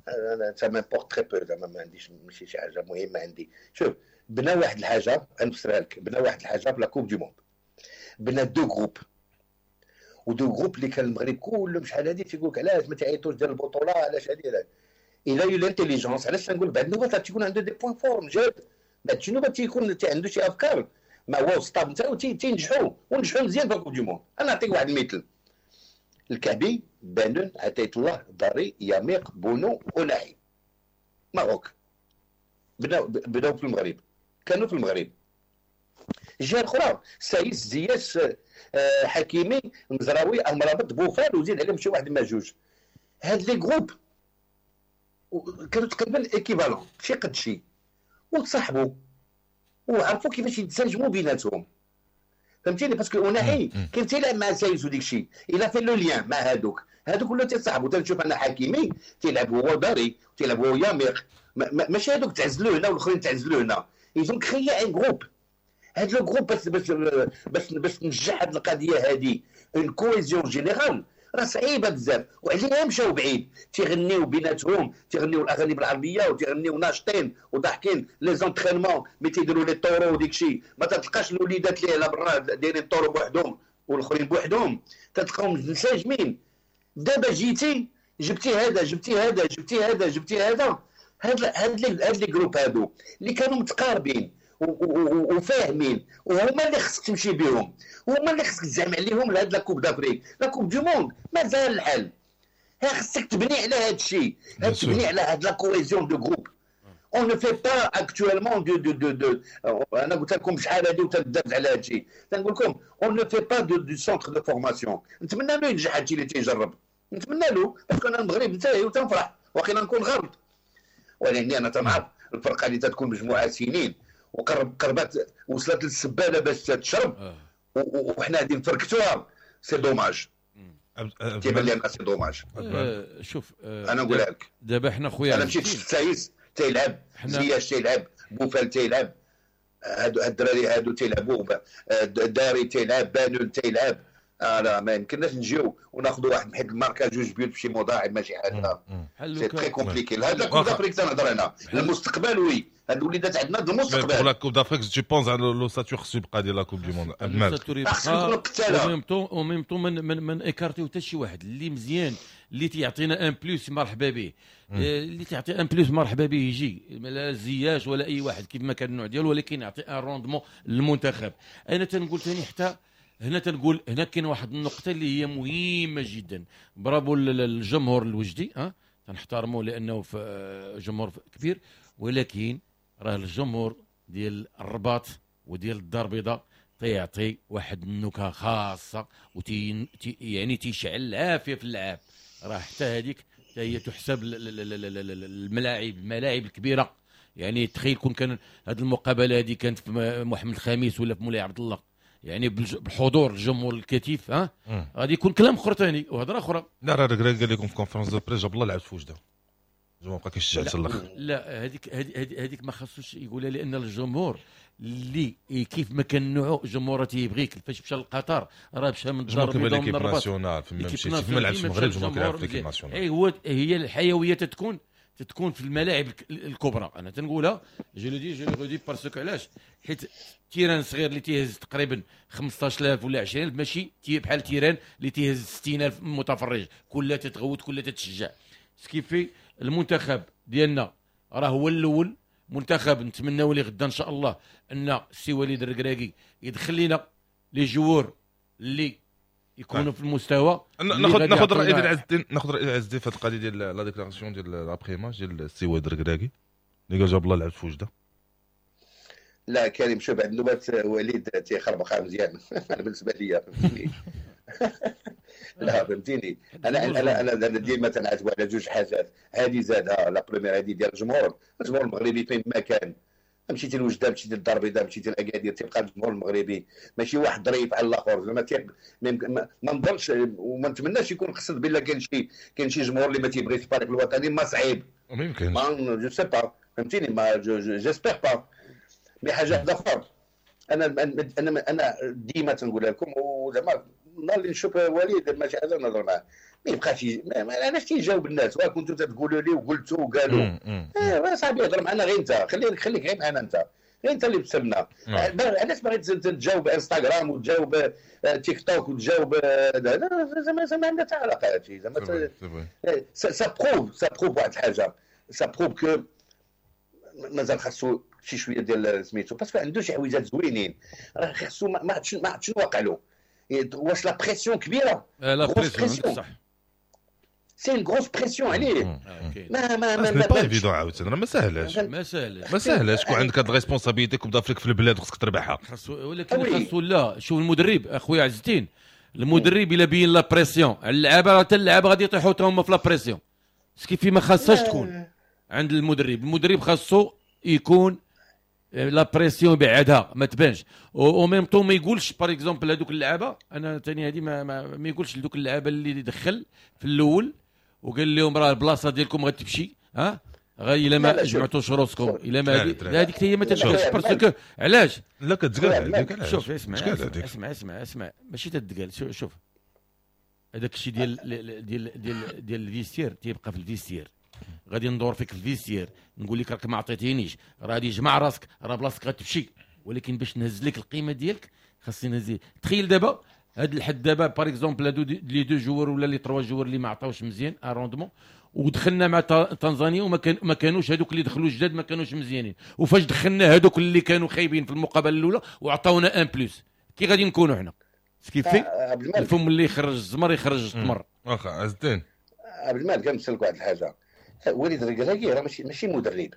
انا ça m'importe très peu، زعما ما عنديش ماشي شي حاجة مهمة عندي. شوف بنا واحد الحاجة غنفسرها لك، بنا واحد الحاجة في la Coupe du Monde، بنا deux groupes و deux groupes اللي كان المغرب كلهم شحال هادي تيقول لك علاش ما تعيطوش ديال البطولة، علاش هادي علاش. il a eu l'intelligence. علاش تنقول بعد النوبة تيكون عنده des points forts جاد، بعد شي نوبه تيكون عنده شي افكار ما هو staff نتاعو تينجحوا ونجحوا مزيان في Coupe du Monde. انا نعطيك واحد المثل، الكعبي، بانون، عطية الله، داري، ياميق، بونو، اوناحي، Maroc بداو بداو في المغرب، كانوا في المغرب. الجهة الاخرى سايس، زياش، حكيمي، المزراوي، امرابط، بوفال، وزيد عليهم شي واحد ما جوج. هاد les groupes كانوا تقريبا équivalents، شي قد شي، وتصاحبوا وعرفوا كيفاش يتسجموا بيناتهم، فهمتيني؟ parce que اوناحي كان تيلعب مع سايس وديك الشيء، il a fait le lien مع هادوك، هادوك ولاو تيتصاحبوا. تنشوف انا حكيمي تيلعب هو داري، تيلعب هو ياميق، ماشي هادوك تعزلوا هنا والاخرين تعزلوا هنا. ils ont créé un groupe. هاد le groupe باش باش باش باش تنجح هاد القضية هادي une cohésion générale راه صعيبة بزاف، وعليها مشاو بعيد، تيغنيو بيناتهم، تيغنيو الاغاني بالعربية وتيغنيو ناشطين وضاحكين. les entraînements ملي تيديروا les taureaux وديك الشيء ما تلقاش الوليدات اللي على برا دايرين taureau بوحدهم والاخرين بوحدهم، تلقاهم منسجمين. دابا جيتي جبتي هذا جبتي هذا جبتي هذا جبتي هذا، هاد هاد هاد les groupes هادو اللي كانوا متقاربين وفاهمين، وهما اللي خصك تمشي بهم، وهما اللي خصك تزعم عليهم لهاد la Coupe d'Afrique، la Coupe du monde مازال الحال. ها خصك تبني على هاد الشيء، تبني على هاد la cohésion de groupe. on ne fait pas actuellement de de de de انا قلت لكم شحال هادي وتندرت على هاد الشيء، تنقول لكم on ne fait pas de de centre de formation. نتمنى له ينجح هاد الشيء اللي تيجرب، نتمنى له، parce que انا المغرب نتاعي وتنفرح واقيلا نكون غلط، ولكن انا تنعرف الفرقة اللي تتكون مجموعة سنين وقرب قربات وصلت للسباله باش تشرب آه. وحنا غادي نفركتوها، c'est dommage. تيبان لي انا c'est dommage. آه شوف آه انا نقولها لك دابا حنا خويا، انا مشيت شفت سايس تيلعب، زياش تيلعب، بوفال تيلعب، هادو الدراري هادو تيلعبوا، داري تيلعب، بانون تيلعب. آه لا ما يمكنناش نجيو وناخذوا واحد حيت الماركة جوج بيوت بشي مضاعف ماشي حاجة، c'est très compliqué. هذا Coupe d'Afrique تنهضر انا المستقبل، oui هاد الوليدات عندنا المستقبل. pour la Coupe d'Afrique tu penses على l'ossature خصو يبقى ديال la Coupe du monde خصو يكون قتاله، au même temps au même temps من من من écarter حتى شي واحد اللي مزيان اللي تيعطينا un plus مرحبا به، اللي تعطي un plus مرحبا به يجي، لا زياش ولا اي واحد كيف ما كان النوع ديالو، ولكن يعطي un rendement للمنتخب. انا تنقول ثاني حتى هنا تنقول هنا كاين واحد النقطة اللي هي مهمة جدا. برافو للجمهور الوجدي، ها تنحترموه لأنه في جمهور كبير، ولكن راه الجمهور ديال الرباط وديال الدار البيضاء تيعطي واحد النكهة خاصة وتي يعني تيشعل العافية في اللعاب. راه حتى هذيك حتى هي تحسب الملاعب الملاعب الكبيرة. يعني تخيل كون كان هذه المقابلة هذه كانت في محمد الخامس ولا في مولاي عبد الله، يعني بحضور الجمهور الكثيف، ها غادي يكون كلام اخر ثاني وهضره اخرى. لا راه قال لكم في conférence de presse جاب الله لعب في وجده، الجمهور بقى كيشجع حتى الاخر. لا هذيك هذيك ما خصوش يقولها، لان الجمهور اللي كيف ما كان نوعه الجمهور تيبغيك. فاش مشى لقطر راه مشى من الدار البيضاء ومن الرباط، nationale فما مشيتي فما لعبش في المغرب الجمهور كيلعب في l'équipe nationale. اي هو هي الحيوية تتكون تتكون في الملاعب الكبرى. انا تنقولها je le dis je le redis parce que علاش؟ حيت terrain صغير اللي تيهز تقريبا خمسطاش ألف ولا عشرين ألف ماشي بحال terrain اللي تيهز ستين ألف متفرج، كلها تتغوت كلها تتشجع. ce qui fait المنتخب ديالنا راه هو الاول منتخب، نتمناو ليه غدا ان شاء الله ان السي وليد الركراكي يدخل لنا les joueurs اللي يكونوا في المستوى. ناخذ ناخذ الراي ديال عز الدين، ناخذ الراي ديال عز الدين في هذه القضية ديال la déclaration ديال l'après-match ديال السي وليد الركراكي اللي قال جاب الله لعب في وجده. لا كريم شوف عند نوبات وليد تيخربقها مزيان انا بالنسبة لي فهمتيني. لا فهمتيني، انا انا انا ديما تنعتب على جوج حاجات، هذه زادها la première هذه ديال الجمهور، الجمهور المغربي فين ما كان، مشيتي لوجده مشيتي للدار البيضاء مشيتي لاكادير تيبقى الجمهور المغربي ماشي واحد ظريف على الاخر. زعما ما نظنش وما نتمناش يكون قصد بلا كاين شي كاين شي جمهور اللي ما تيبغيش الفريق الوطني، ما صعيب ما يمكنش، ما je sais pas فهمتيني، ما j'espère pas. mais حاجة واحدة اخرى انا انا انا ديما تنقولها لكم، وزعما النهار اللي نشوف وليد ماشي حاجة نهضر معاه، ما يبقاش علاش تيجاوب الناس وكنتو تقولوا لي وقلتوا وقالوا. ايه صاحبي هضر معنا غير انت، خليك خليك غير معنا انت، غير انت اللي بسبنا. علاش باغي تجاوب انستغرام وتجاوب تيك توك وتجاوب زعما زعما عندها حتى علاقة هادشي. زعما ça prouve ça prouve واحد الحاجة، ça prouve que مازال خاصو شي شوية ديال سميتو، parce que عنده شي حويجات زوينين، راه خاصو ما عرفتش ما عرفتش شنو واقع له. واش la pression كبيرة، la pression صح، c'est une grosse pression عليه. ما ما ما ما pas évident عاوتاني، راه ما ساهلاش ما ساهلاش ما ساهلاش تكون عندك هاد ال responsabilité Coupe d'Afrique في البلاد خصك تربحها. خاصو، ولكن خاصو لا شوف المدرب اخويا عز الدين، المدرب الا بين la pression على اللعابه راه حتى اللعابه غادي يطيحوا حتى هما في la pression، ce qui fait ما خاصهاش تكون عند المدرب. المدرب خاصو يكون la pression بعدها ما تبانش، au même temps ما يقولش par exemple هذوك اللعابه. انا ثاني هذه ما, ما, ما يقولش لذوك اللعابه اللي دخل في الاول وقال لهم راه البلاصة ديالكم غتمشي، ها غير الا ما جمعتوش روسكم، الا ما هذيك هي ما تتقالش parce que علاش؟ لا كتقال هذيك. شوف اسمع اسمع اسمع اسمع ماشي تتقال. شوف هذاك الشيء ديال ديال ديال ديال ال vestiaire تيبقى في ال vestiaire. غادي ندور فيك في ال vestiaire نقول لك راك ما عطيتينيش، راه غادي جمع راسك، راه بلاصتك غتمشي، ولكن باش نهز لك القيمة ديالك خاصني نهز. تخيل دابا هاد الحد دابا par exemple هادو les deux joueurs ولا les trois joueurs اللي ما عطاوش مزيان un rendement، ودخلنا مع تنزانيا وما كان ما كانوش هادوك اللي دخلوا جداد ما كانوش مزيانين، وفاش دخلنا هادوك اللي كانوا خايبين في المقابلة الاولى وعطاونا un plus، كي غادي نكونوا حنا؟ ce qui fait الفم اللي يخرج الزمر يخرج التمر. واخا عز الدين عبد المالك كنسالك واحد الحاجة، وليد الركراكي راه ماشي ماشي مدرب،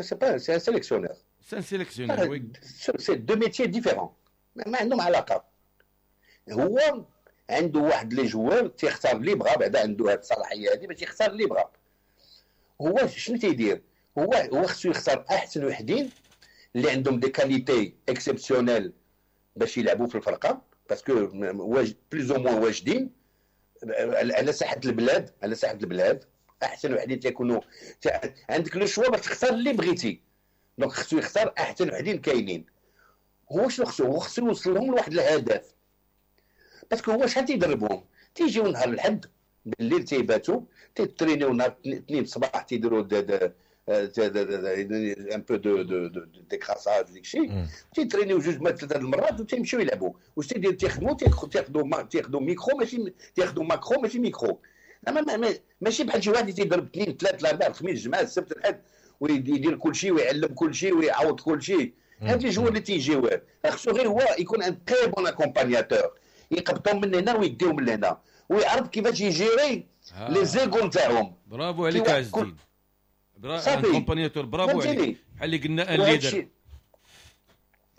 c'est pas c'est un sélectionneur، c'est un sélectionneur، oui c'est deux métiers différents، ما عندهم علاقة. هو عنده واحد les joueurs تيختار اللي بغا، بعدا عنده هاد الصلاحية هادي باش يختار اللي بغا. هو شنو تيدير؟ هو هو خصو يختار احسن وحدين اللي عندهم des qualités exceptionnelles باش يلعبوا في الفرقة، parce que plus ou moins واجدين على ساحة البلاد، على ساحة البلاد احسن وحدين تيكونوا عندك le choix باش تختار اللي بغيتي. donc خصو يختار احسن وحدين كاينين. هو شنو خصو؟ هو خصو يوصل لهم لواحد الهدف، parce que هو شحال تيدربهم؟ تيجيو نهار الحد بالليل تيباتوا تيترينيو نهار الاثنين الصباح تيديروا un peu de de décrassage ديك الشيء، تيترينيو جوج ما ثلاثة المرات وتيمشيو يلعبوا. واش تيدير؟ تيخدموا تياخذوا تياخذوا ميكرو ماشي تياخذوا macro ماشي ميكرو. ماشي بحال شي واحد اللي تيضرب اثنين ثلاثة الاربعاء الخميس الجمعة السبت الحد ويدير كل شيء ويعلم كل شيء ويعوض كل شيء. هاد les joueurs اللي تيجيو خصو غير هو يكون un très bon accompagnateur، يقبطهم من هنا ويديهم من هنا ويعرف كيفاش يجيري les égos نتاعهم. برافو عليك عز الدين، برافو accompagnateur، برافو عليك. بحال اللي قلنا un leader،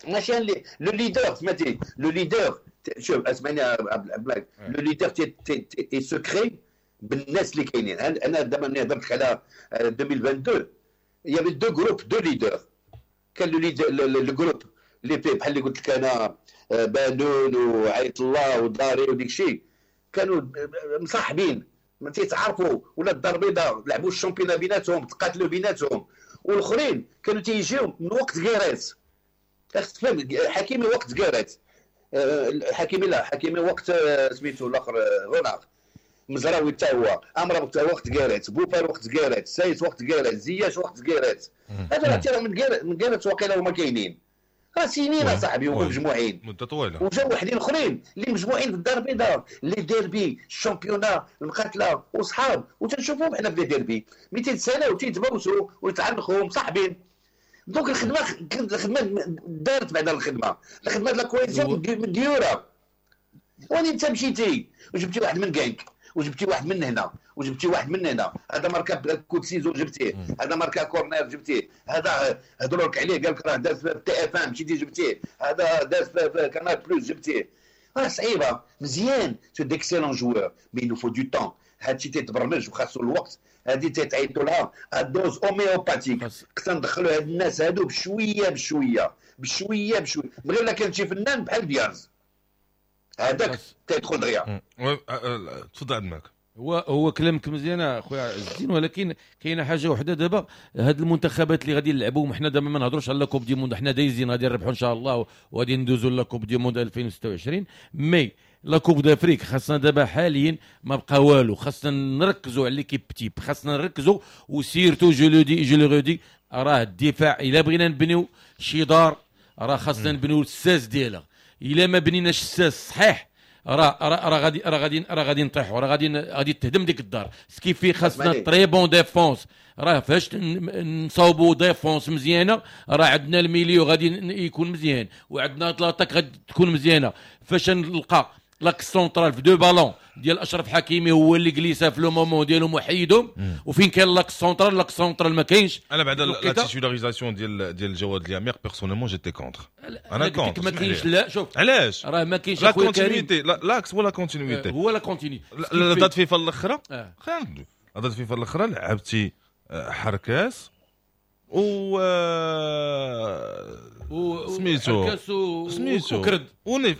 ماشي un le leader، سمعتي le leader. شوف اسمعني عبد الملك، le leader تي se crée بالناس اللي كاينين. انا دابا ملي هضرت على ألفين واثنين وعشرين y avait deux groupes de leaders. كان le leader le groupe اللي فيه بحال اللي قلت لك انا بانون وعيط الله وداري وديك الشيء، كانوا مصاحبين ما تيتعرفوا، ولا الدار البيضاء لعبوا ال championnat بيناتهم، تقاتلوا بيناتهم. والاخرين كانوا تيجيو من وقت كيرات، خاصك تفهم حكيمي وقت كيرات، حكيمي لا حكيمي وقت سميتو الاخر رونار، مزراوي حتى هو، امرا وقت كيرات، بوفال وقت كيرات، سايس وقت كيرات، زياش وقت كيرات. هذا راه ترى من كيرات من كيرات واقيلا هما كاينين راه سنين اصاحبي هما مجموعين مده طويلة. وجاو وحدين اخرين اللي مجموعين في الدار البيضاء، les derbys ال championnat المقاتلة وصحاب، وتنشوفوهم حنا في les derbys مئتين سنة وتيتبوسوا ويتعنقوا مصاحبين. donc الخدمة الخدمة دارت بعد الخدمة الخدمة la cohésion مديوره. وين انت مشيتي وجبتي واحد من كانك وجبتي واحد من هنا وجبتي واحد من هنا، هذا ماركا coup de ciseaux جبتيه، هذا ماركا corner جبتيه، هذا هضروا لك عليه قال لك راه داز في TF un مشيتي جبتيه، هذا داز في Canal Plus جبتيه. راه صعيبة مزيان، c'est d'excellents joueurs mais il faut du temps. هادشي تيتبرمج وخاصو الوقت، هادي تيتعيطوا لها dose homéopathique. خصنا ندخلوا هاد الناس هادو بشوية بشوية بشوية بشوية، من غير لا كان شي فنان بحال دياز هذاك تيدخل دغيا. تفضل عبد الملك. هو هو كلامك مزيان اخويا عز الدين، ولكن كاينه حاجة وحده دابا، هاد المنتخبات اللي غادي نلعبوهم حنا دابا ما نهضروش على Coupe du Monde، حنا دايزين غادي نربحوا ان شاء الله وغادي ندوزوا la Coupe du Monde ألفين وستة وعشرين، mais la Coupe d'Afrique خاصنا دابا حاليا ما بقى والو، خاصنا نركزوا على l'équipe type، خاصنا نركزوا و surtout je le dis je le redis، راه الدفاع الا بغينا نبنيو شي دار راه خاصنا نبنيو الساس ديالها، الا ما بنيناش الساس صحيح راه راه غادي راه غادي راه غادي نطيحوا، راه غادي غادي تهدم ديك الدار. ce qui fait خاصنا très bonne défense، راه فاش نصاوبوا défense مزيانه راه عندنا ال milieu غادي يكون مزيان وعندنا l'attaque غادي تكون مزيانه. فاش نلقى l'axe central في deux ballons ديال اشرف حكيمي هو اللي جليسه في le moment ديالو محيدهم، وفين كان l'axe central l'axe central ما كاينش. انا بعد la titularisation ديال ديال جواد الياميق personnellement j'étais contre، انا contre ما كاينش. لا شوف علاش راه ما كاينش la continuité، l'axe هو la continuité، هو la continuité. la date FIFA الاخرى، خلينا la date FIFA الاخرى لعبتي حركاس و و سميتو سميتو وكرد ونيف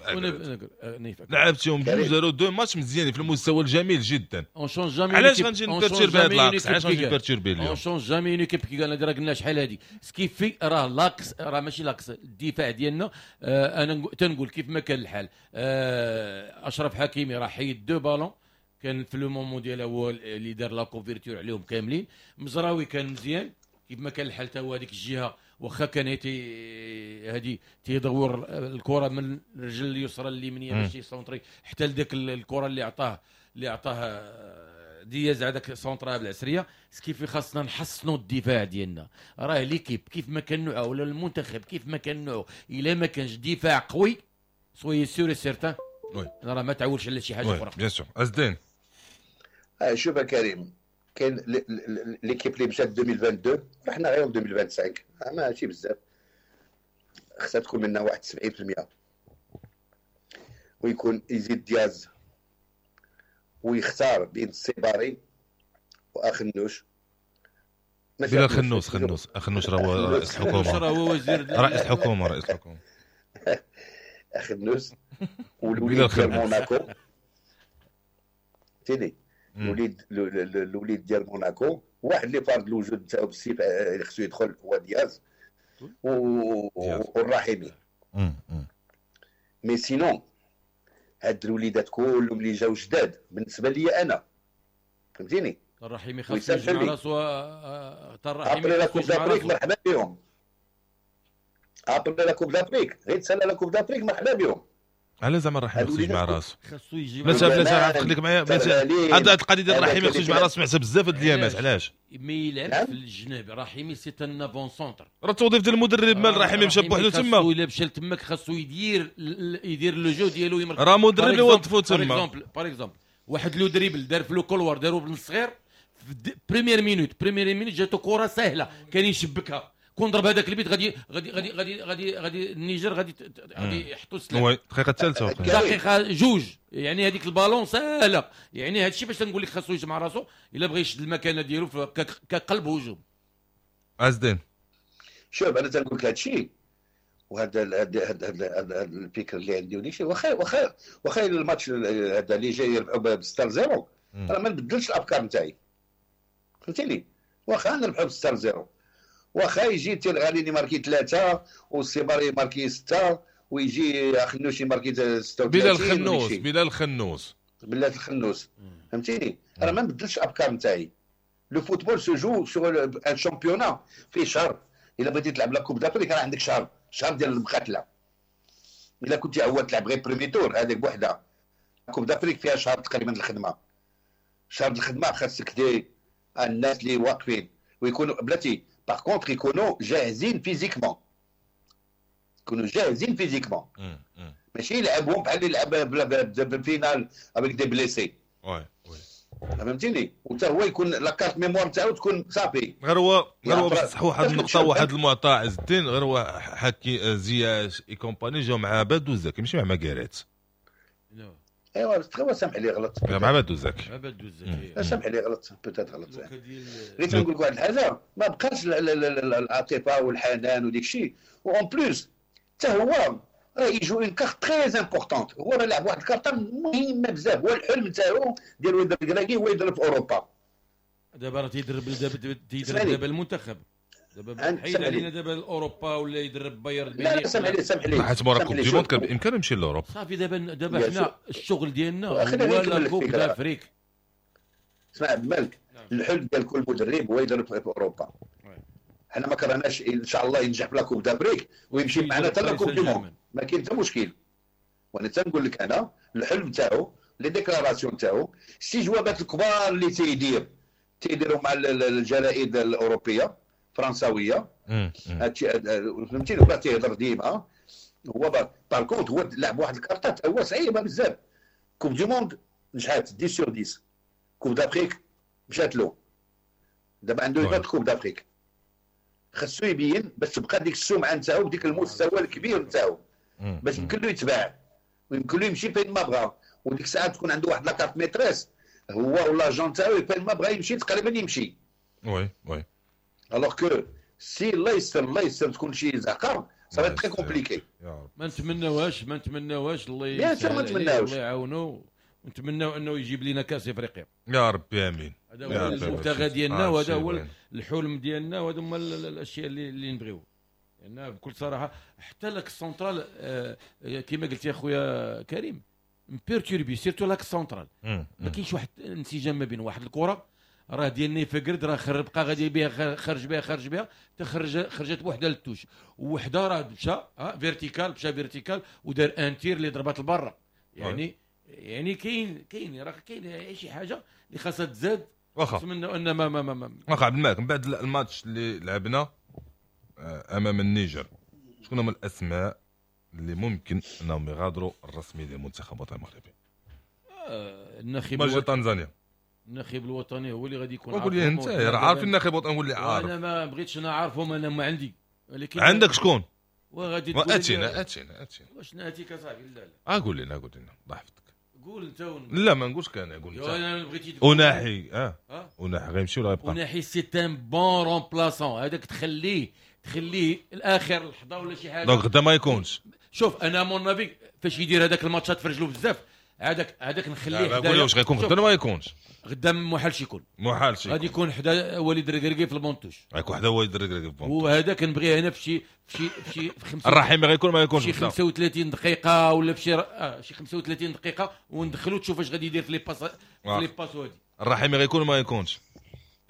نيف لعبتيهم بجوج داروا deux matchs مزيانين في المستوى الجميل جدا. on change jamais. علاش غنجي ن perturber هاد l'axe؟ علاش غنجي ن perturber اليوم؟ on change jamais une équipe qui gagne. راه قلنا شحال هادي ce qui fait راه l'axe، راه ماشي l'axe الدفاع ديالنا. آه انا تنقول كيف ما كان الحال، آه اشرف حكيمي راه حيد deux ballons كان في le moment ديالها هو اللي دار la couverture عليهم كاملين. مزراوي كان مزيان كيف ما كان الحال، تا هو هذيك الجهة واخا كان تي هادي تيدور الكره من الرجل اليسرى اليمنية باش ي centrer حتى لذاك الكره اللي عطاه اللي عطاه دياز هذاك centra بالعسريه. ce qui fait خاصنا نحسنوا الدفاع ديالنا. راه l'équipe كيف ما كان نوعه ولا المنتخب كيف ما كان نوعه، الا ما كانش دفاع قوي soyez sûr et certain راه ما تعولش على شي حاجة اخرى. bien sûr ازدين. شوف كريم، كاين l'équipe اللي مشات ألفين واثنين وعشرين رحنا غير ألفين وخمسة وعشرين ماشي بزاف، خصها تكون منا واحد سبعين بالمية ويكون يزيد دياز ويختار بين السيباري واخنوش. بلا خنوس خنوس اخنوش راه هو رئيس الحكومة، راه هو وزير رئيس الحكومة رئيس الحكومة اخنوس والوليد ديال موناكو تيني الوليد الوليد ديال موناكو واحد اللي فارض الوجود نتاعو بالسيف اللي خصو يدخل هو دياز والرحيمي. mais sinon هاد الوليدات كلهم اللي جاو جداد بالنسبة لي انا فهمتيني، الرحيمي خاصو يجمع راسو. الرحيمي après la Coupe d'Afrique مرحبا بهم، après la Coupe d'Afrique غير تسالى la Coupe d'Afrique مرحبا بهم. على زعما الرحيمي خصو يجمع راسو، خاصو يجي بلا بلا خليك معايا هاد القضية ديال الرحيمي خصو يجمع راسو سمعتها بزاف هاد الايامات. علاش ما يلعبش في الجناب؟ رحيمي c'est un avant-centre، راه التوظيف ديال المدرب مال الرحيمي مشى بوحدو تما، الا مشى لتماك خاصو يدير يدير le jeu ديالو يمرك. راه مدرب اللي وظفو تما. par exemple واحد le dribble دار في le couloir دارو بن الصغير في première minute première minute جاتو كره سهلة كان يشبكها، كون ضرب هذاك البيت غادي غادي غادي غادي غادي غادي النيجر غادي غادي يحطوا السلاح. oui الدقيقة الثالثة دقيقة جوج يعني هذيك البالون سهلة. يعني هذا الشيء باش نقول لك خاصو يجمع راسو الا بغى يشد المكانة ديالو كقلب هجوم. عزدين شوف انا تنقول لك هذا الشيء وهذا هذا الفكر اللي عندي وديك الشيء، واخا واخا واخا الماتش هذا اللي جاي يربحوا ب ستة صفر راه ما نبدلش الافكار نتاعي فهمتيني، واخا نربحوا ب ستة صفر واخا يجي تيلغالي marquer ثلاثة والسيباري marquer ستة ويجي خنوش marquer ستة وثلاثين. بلال خنوس بلال خنوس بلال الخنوس فهمتيني. انا ما نبدلش الافكار نتاعي. le football se joue sur un championnat فيه شهر، الا بغيتي تلعب la Coupe d'Afrique راه عندك شهر شهر ديال المقاتلة. الا كنتي عوال تلعب غير premier tour هذيك بوحده، Coupe d'Afrique فيها شهر تقريبا الخدمة، شهر الخدمة خاصك des الناس اللي واقفين ويكونوا بلاتي par contre يكونوا جاهزين physiquement، يكونوا جاهزين physiquement ماشي يلعبهم بحال اللي لعب بال finale avec des blessés. oui oui فهمتيني. وحتى هو يكون la carte mémoire تاعو تكون صافي. غير هو غير هو باش تصحوا واحد النقطة واحد المعطى عز الدين، غير هو حكي زياش et compagnie جاو مع بادو زكي ماشي مع ماكاريت. ايوا تخوا سامح لي غلط مع بادو زكي مع بادو زكي سامح لي غلط peut-être غلط. غير تنقول لك واحد الحاجة، ما بقاش العاطفة والحنان وديك الشيء، و en plus حتى هو راه il joue une carte très importante. هو راه لعب واحد الكارطه مهمة بزاف، هو الحلم تاعو ديال وليد الكراكي هو يدرب في اوروبا. دابا راه تيدرب دابا تيدرب دابا المنتخب دابا حيد علينا دابا لاوروبا ولا يدرب بايرن ميونخ. لا سامح لي سامح لي حيت مورا Coupe du Monde كان بامكانه يمشي لاوروبا صافي. دابا دابا حنا الشغل ديالنا هو la Coupe d'Afrique. اسمع عبد الملك، الحلم ديال كل مدرب هو يدرب في اوروبا. حنا ما كرهناش ان شاء الله ينجح في la Coupe d'Afrique ويمشي معنا حتى la Coupe du Monde، ما كاين حتى مشكل. وانا تنقول لك انا الحلم تاعو les déclarations تاعو الجوابات الكبار اللي تيدير تيديروا مع الجرائد الاوروبية الفرنساويه هادشي فهمتيني. هو تيهضر ديما هو par contre هو لعب واحد الكارطات هو صعيبة بزاف. Coupe du Monde نجحات عشرة sur عشرة، Coupe d'Afrique مشات له، دابا عنده une Coupe d'Afrique خاصو يبين باش تبقى ديك السمعة نتاعو بديك المستوى الكبير نتاعو باش يمكن له يتباع ويمكن له يمشي فين ما بغا، وديك الساعة تكون عنده واحد la carte maîtresse هو ولا l'agent تاعو فين ما بغا يمشي تقريبا يمشي. oui oui alors que si الله يستر الله يستر تكون شي زعقه ça va très compliqué. ما نتمناوهاش ما نتمناوهاش، الله يسهل، الله يعاونو، ونتمناو انه يجيب لنا كاس افريقيا يا ربي امين. هذا هو المبتغى ديالنا وهذا هو الحلم ديالنا وهذا هما الاشياء اللي اللي نبغيو. لان بكل صراحة حتى l'axe central آه كما قلت يا خويا كريم perturbé، surtout l'axe central ما كاينش واحد الانسجام ما بين واحد الكره راه ديال نيفا راه خرب بقى غادي بها خرج بها خرج بها تخرج خرجت بوحده لل touche، وحده راه مشى vertical مشى vertical ودار un tir اللي ضربات لبرا. يعني يعني كاين كاين راه كاين شي حاجة اللي خاصها تزاد. واخا نتمنى ان ما ما ما, ما. واخا عبد الملك، من بعد الماتش اللي لعبنا امام النيجر، شكون هما الاسماء اللي ممكن انهم يغادروا الرسمي ديال المنتخب الوطني المغربي؟ آه الناخب الوطني تنزانيا، الناخب الوطني هو اللي غادي يكون. قول لي انت راه عارف الناخب الوطني، قول لي عارف. انا ما بغيتش نعرفهم، انا ما عندي. ولكن عندك شكون؟ وغادي تقول اتينا اتينا اتينا واش ناتيك اصاحبي؟ لا لا قول لنا قول لنا الله يحفظك. قول انت ون... لا ما نقولش كان قول انت. انا بغيتي تقول اوناحي اه اوناحي غيمشي ولا غيبقى؟ اوناحي c'est un bon remplaçant، هذاك تخليه تخليه الاخر لحظة ولا شي حاجة. donc غدا ما يكونش. شوف انا mon avis فاش يدير هذاك الماتشات في رجلو بزاف، هذاك هذاك نخليه حدا. قول واش غيكون غدا ما يكونش؟ غدا محالش يكون، محالش غادي يكون حدا وليد الركراكي في ال banc de touche، غيكون حدا وليد الركراكي في ال banc de touche، وهذا كنبغيه انا في شي في شي في شي في خمسة الرحيمي غيكون ما يكونش شي خمسة وثلاثين دقيقة ولا في شي آه شي خمسة وثلاثين دقيقة وندخلو تشوف اش غادي يدير في les passes في les passes. وهادي الرحيمي غيكون ما يكونش؟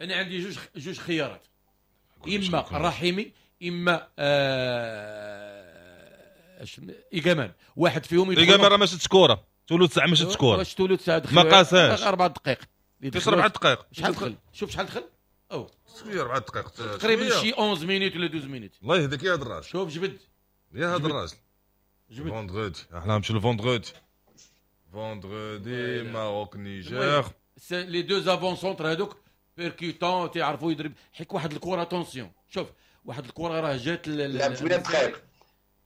انا عندي جوج جوج خيارات، اما الرحيمي اما آه ايغامان. واحد فيهم يدخل. ايغامان راه ما شدش كره، تولو تسعة ما شدش كره. واش تولو تسعة دخل ما قاساش اربع دقائق، فيش اربع دقائق. شحال دخل؟ شوف شحال دخل. او شوية اربع دقائق تقريبا شي احداش minutes ولا اثنا عشر minutes. الله يهديك يا هذا الراجل. شوف جبد يا هذا الراجل جبد. vendredi احنا نمشيو ل vendredi vendredi Maroc Niger. les deux avant-centres هذوك percutants تيعرفوا يضرب حيت واحد الكره attention. شوف واحد الكره راه جات لعب ثمانية دقائق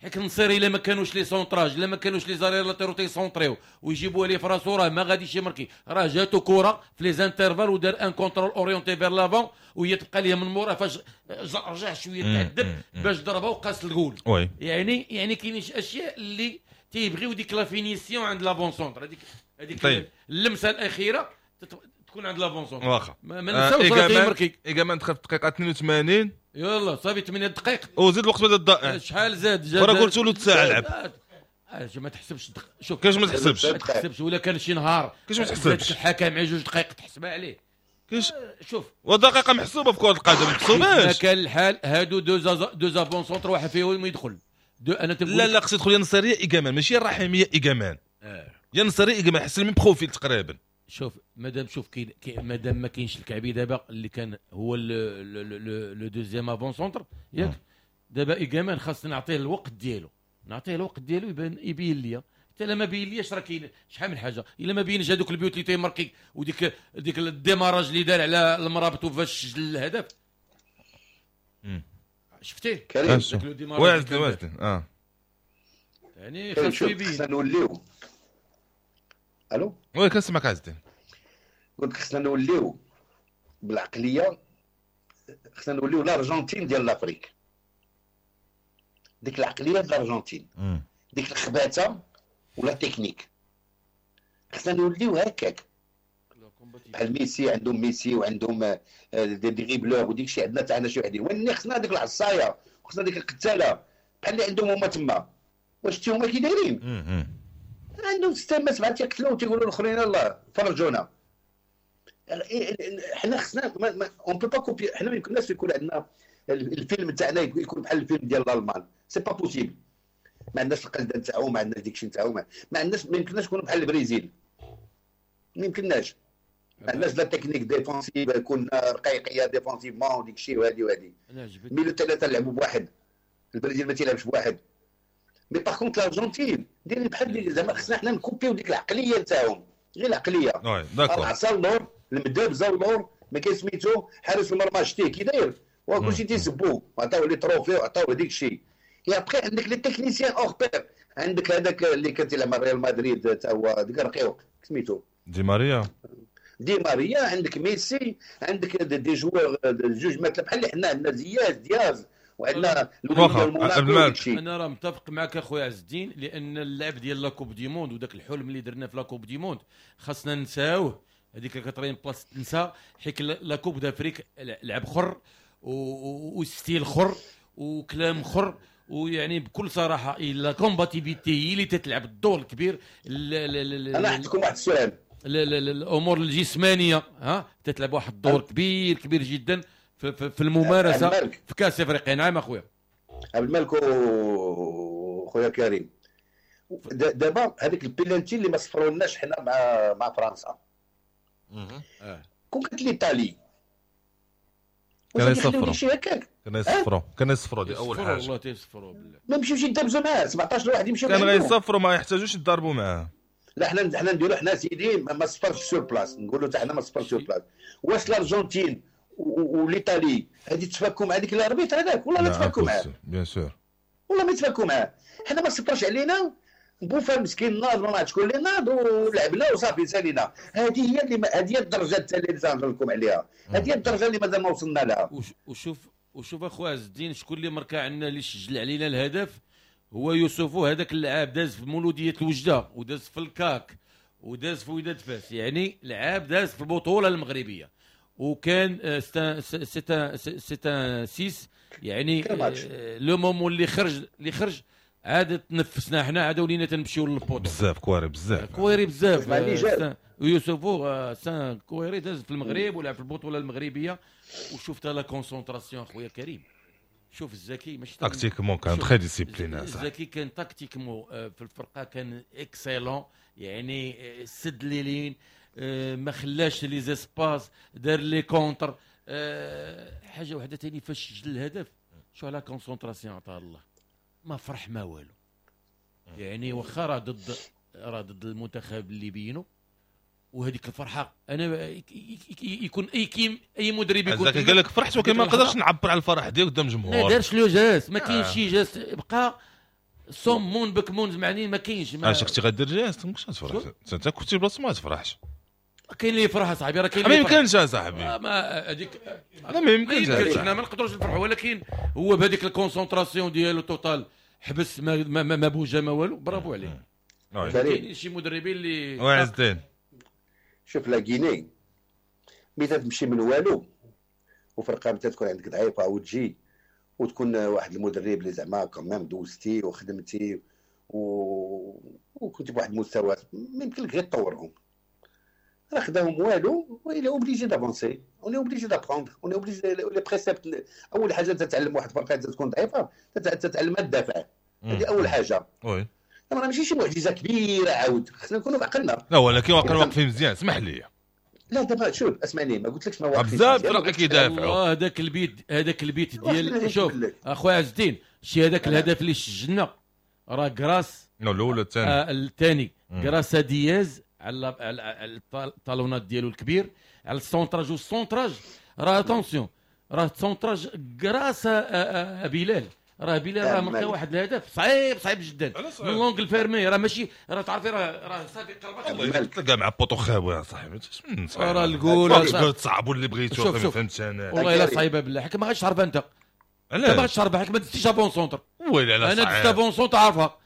حيت النصير الا ما كانوش les centrages الا ما كانوش les arrières latéraux تيسونطريو ويجيبوها ليه في راسو راه ما غاديش يمركي. راه جاتو كره في les intervalles ودار un contrôle orienté vers l'avant وهي تبقى ليه من مورا فاش رجع شوية تعذب باش ضربها وقاس الجول. يعني يعني كاينين شي اشياء اللي تيبغيو ديك la finition عند l'avant-centre، هذيك هذيك طيب. اللمسة الاخيرة تكون عند l'avant-centre. واخا ما نساوش راه تيمركي. ايغامان دخل في الدقيقة اثنين وثمانين يلا صافي ثمانية دقائق وزيد الوقت بدا الضائع. شحال زاد زاد راه قلت له تسعة لعب. ما تحسبش دق... شوف كيفاش ما تحسبش؟ ما تحسبش ولا كان شي نهار كيفاش ما تحسبش؟ الحكم على جوج دقائق تحسبها عليه. كيفاش؟ شوف ودقيقة محسوبة في كره القدم ما محسوباش. ما كان الحال هادو deux deux avant-centres واحد فيهم يدخل deux. انا تنقول لا لا خص يدخل يا نصيريه ايغامان ماشي الرحيميه ايغامان. آه. يا نصيريه ايغامان حس ال même profil تقريبا. شوف مادام شوف كاين مادام ما كاينش الكعبي دابا اللي كان هو le deuxième avant-centre ياك دابا ايغامان خاصنا نعطيه الوقت ديالو، نعطيه الوقت ديالو يبان يبين ليا. حتى لا ما بين لياش راه كاين شحال من حاجة. الا ما بينش هذوك البيوت اللي تيماركي وديك ديك ال démarrage اللي دار على المرابط وفاش سجل الهدف شفتيه كريم واعد واعد اه يعني خاصو يبين. خصنا نوليو الو oui كنسمعك عز الدين. قلت خصنا نوليو بالعقليه، خصنا نوليو الارجنتين ديال l'Afrique، ديك العقلية ديال الارجنتين، ديك الخباثه ولا تكنيك، خصنا نوليو هكاك بحال ميسي. عندهم ميسي وعندهم des dribbleurs وديك الشيء، عندنا تاعنا شي وحدين، ولكن خصنا ديك العصاية وخصنا ديك القتاله بحال اللي عندهم هما تما. واش شتي هما كي دايرين؟ عندهم ستة سبعة تيقتلوا وتيقولوا الاخرين الله فرجونا. حنا خصنا on peut pas copier. حنا ما يمكنناش يكون عندنا الفيلم تاعنا يكون بحال الفيلم ديال الالمان، c'est pas possible. ما عندناش القلده نتاعهم، ما عندناش ديك الشيء نتاعهم، ما عندناش، ما يمكنناش نكونوا بحال البرازيل، ما يمكنناش. ما عندناش la technique défensive، كنا رقيقيه défensivement وديك الشيء وهادي وهادي. milieu ثلاثة لعبوا بواحد، البرازيل ما تيلعبش بواحد. mais par contre الارجنتين دايرين بحال زعما خصنا حنا نكوبيو ديك العقلية نتاعهم، غير العقلية. oui d'accord. العصا اللور، المدابزه اللور، ما كاين سميتو حارس المرمى شتيه كي داير وكلشي تيسبوه وعطاوه les trophées وعطاوه ديك الشيء. et après عندك les techniciens hors pair، عندك هذاك اللي كان تيلعب مع ريال مدريد تا هو ديك الرقيق سميتو دي ماريا. دي ماريا، عندك ميسي، عندك des joueurs جوج مثلا بحال اللي حنا عندنا زياز دياز وعندنا لويس. انا راه متفق معك اخويا عز الدين، لان اللعب ديال la Coupe du Monde وداك الحلم اللي درنا في la Coupe du Monde خاصنا نساوه، هذيك quatrième place تنسى، حيت la Coupe d'Afrique لعب خر و style خر وكلام خر، ويعني بكل صراحة la combativité هي اللي تتلعب الدور الكبير. انا نعطيكم واحد السؤال، الامور الجسمانية ها تتلعب واحد الدور كبير كبير جدا في, في, في الممارسة في كاس افريقيا. نعم اخويا عبد الملك خويا كريم، دابا هذيك البيلانتي اللي ما صفرولناش حنا مع مع فرنسا، كون كانت l'Italie كان يصفروا، كان يصفروا كان يصفروا دي اول حاجة والله تيصفروا بالله، ما يمشيوش يدابزوا معاه سبعطاش واحد يمشيو كان غيصفروا ما يحتاجوش يضربوا معاه. لا حنا حنا نديروا حنا سيدي ما صفرش sur place، نقولوا حتى حنا ما صفرش sur place. واش الارجنتين و l'Italie هادي تفاكوا مع ديك l'arbitre هذاك ولا لا تفاكوا معاه؟ bien sûr والله ما يتفاكوا معاه. حنا ما صفرش علينا بوفا مسكين ناض ما عرفت شكون اللي ناض ولعبنا وصافي سالينا. هذه هي اللي هذه هي الدرجة الثانية اللي تنهضر لكم عليها، هذه هي الدرجة اللي مازال ما وصلنا لها. وشوف وشوف اخويا عز الدين شكون اللي مركا عندنا اللي سجل علينا الهدف هو يوسفو، هذاك اللاعب داز في مولوديه الوجده وداز في الكاك وداز في وداد فاس، يعني لعاب داز في البطولة المغربية وكان c'est c'est six، يعني le moment اللي خرج اللي خرج عاد تنفسنا حنا، عاد ولينا تنمشيو لل poteau بزاف كواري بزاف كواري بزاف. يوسفو سان كواري داز في المغرب ولعب في البطولة المغربية، وشفت la concentration خويا كريم. شوف الزكي ماشي tactiquement كان très discipliné، الزكي كان tactiquement في الفرقة كان excellent، يعني سد les lignes، ما خلاش les espaces، دار les contres. حاجة واحدة ثاني فاش سجل الهدف شو على concentration عطاه الله، ما فرح ما والو، يعني واخا راه ضد راه ضد المنتخب اللي بينو وهذيك الفرحة انا يكون اي كيم اي مدرب يكون قال لك فرحت ولكن ما نقدرش نعبر على الفرح ديالي قدام الجمهور، ما دارش le geste، ما كاينش شي geste، بقى صم بكمون معني ما كاينش. اش كنتي غدير geste ما كنتش تفرح انت، كنتي بلاصة ما تفرحش. كاين اللي يفرح اصاحبي، راه كاين ما يمكنش اصاحبي، ما هذيك لا ما يمكنش، حنا ما نقدروش نفرحوا، ولكن هو بهذيك ال concentration ديالو totale حبس ما ما, ما بوجه ما والو، برافو عليه. كاين شي مدربين اللي وعز الدين شوف la Guinée ملي تمشي من والو وفرقه متى تكون عندك ضعيفة وتجي وتكون واحد المدرب اللي زعما quand même دوزتي وخدمتي و... وكنت بواحد المستوى ما يمكن لك غير تطورهم، راه خداهم والو و il est obligé d'avancer، on est obligé d'apprendre، on est obligé les préceptes. اول حاجة تتعلم واحد الفرقة تكون ضعيفة تتعلمها تدافع، هذه اول حاجة. oui راه ماشي شي معجزه كبيرة عاود، خصنا نكونوا بعقلنا. لا ولكن واقع واقفين مزيان، اسمح لي. لا دابا شوف اسمعني، ما قلتلكش ما واقفين بزاف فرق كيدافعوا. هذاك البيت هذاك البيت ديال شوف اخويا عز الدين شي هذاك الهدف اللي سجلنا راه grâce الاول الثاني آه الثاني grâce دياز على على ال talonnade ديالو الكبير على ال centrage، وال centrage راه attention راه ال centrage grâce بلال، راه بلال راه مركا واحد الهدف صعيب صعيب جدا من l'angle fermé، راه ماشي راه تعرفي راه راه صافي قربت والله تلقى مع poteau خاوي يا صاحبي، من صعيب راه الجول تصعبوا اللي بغيتو فهمت انا والله الا صعيبة بالله، حيت ما غاديش تعرفها انت، انت ما غاديش تعرفها حيت ما دزتيش avant-centre. ويلي على انا دزت avant-centre عارفها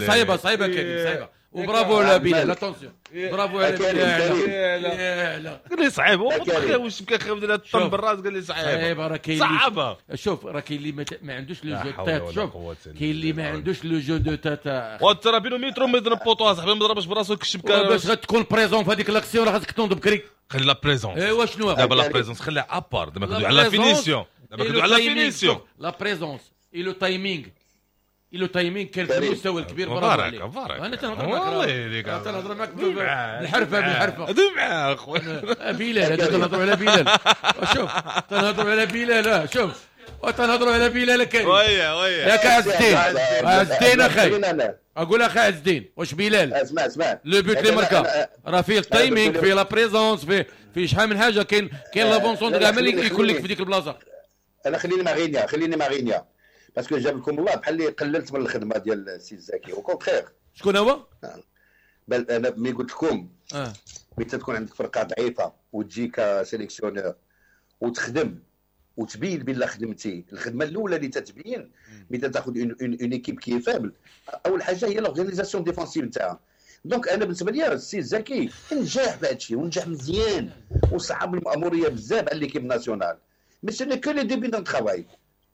صعيبة صعيبة كريم صعيبة، وبرافو على بلال attention، برافو على بلال. قال لي صعيب هو واش بكا خاوي ديال الطن بالراس، قال لي صعيب صعيب راه كاين صعبة. شوف راه كاين اللي ما عندوش le jeu tête، شوف كاين اللي ما عندوش le jeu de tête، وترى بينو مترو متر poteau صاحبي ما ضربش براسو الشبكة باش غتكون présent في هذيك l'action راه خاصك تنوض بكري. خلي la présence، ايوا شنو دابا la présence خليها à part، دابا كندوي على la finition، دابا كندوي على finition، la présence et le timing le timing كان في المستوى الكبير. برافو عليك، انا تنهضر معاك والله تنهضر معاك بالحرفه بالحرفه دمعه اخويا بلال، هذا تنهضروا على بلال، شوف تنهضروا على بلال، شوف وتنهضروا على بلال كريم. oui oui ياك عز الدين، عز الدين اخي اقول اخي عز الدين واش بلال اسمع اسمع le but اللي مركا راه فيه ال timing، فيه la présence، فيه فيه شحال من حاجة، كاين كاين l'avant-centre كاع ملي يكون لك في ديك البلاصة. انا خليني مع غينيا، خليني مع غينيا parce que جاب لكم الله بحال اللي قللت من الخدمة ديال السي الزكي au contraire. شكون هو؟ بل انا ملي قلت لكم اه ملي تكون عندك فرقه ضعيفة وتجي ك sélectionneur وتخدم وتبين بلا خدمتي، الخدمة الاولى اللي تتبين ملي تاخذ une équipe qui est faible، اول حاجة هي l'organisation défensive نتاعها. donc انا بالنسبة لي السي الزكي نجح في هذا الشيء ونجح مزيان وصعب الماموريه بزاف على l'équipe nationale، mais ce n'est que le début d'un travail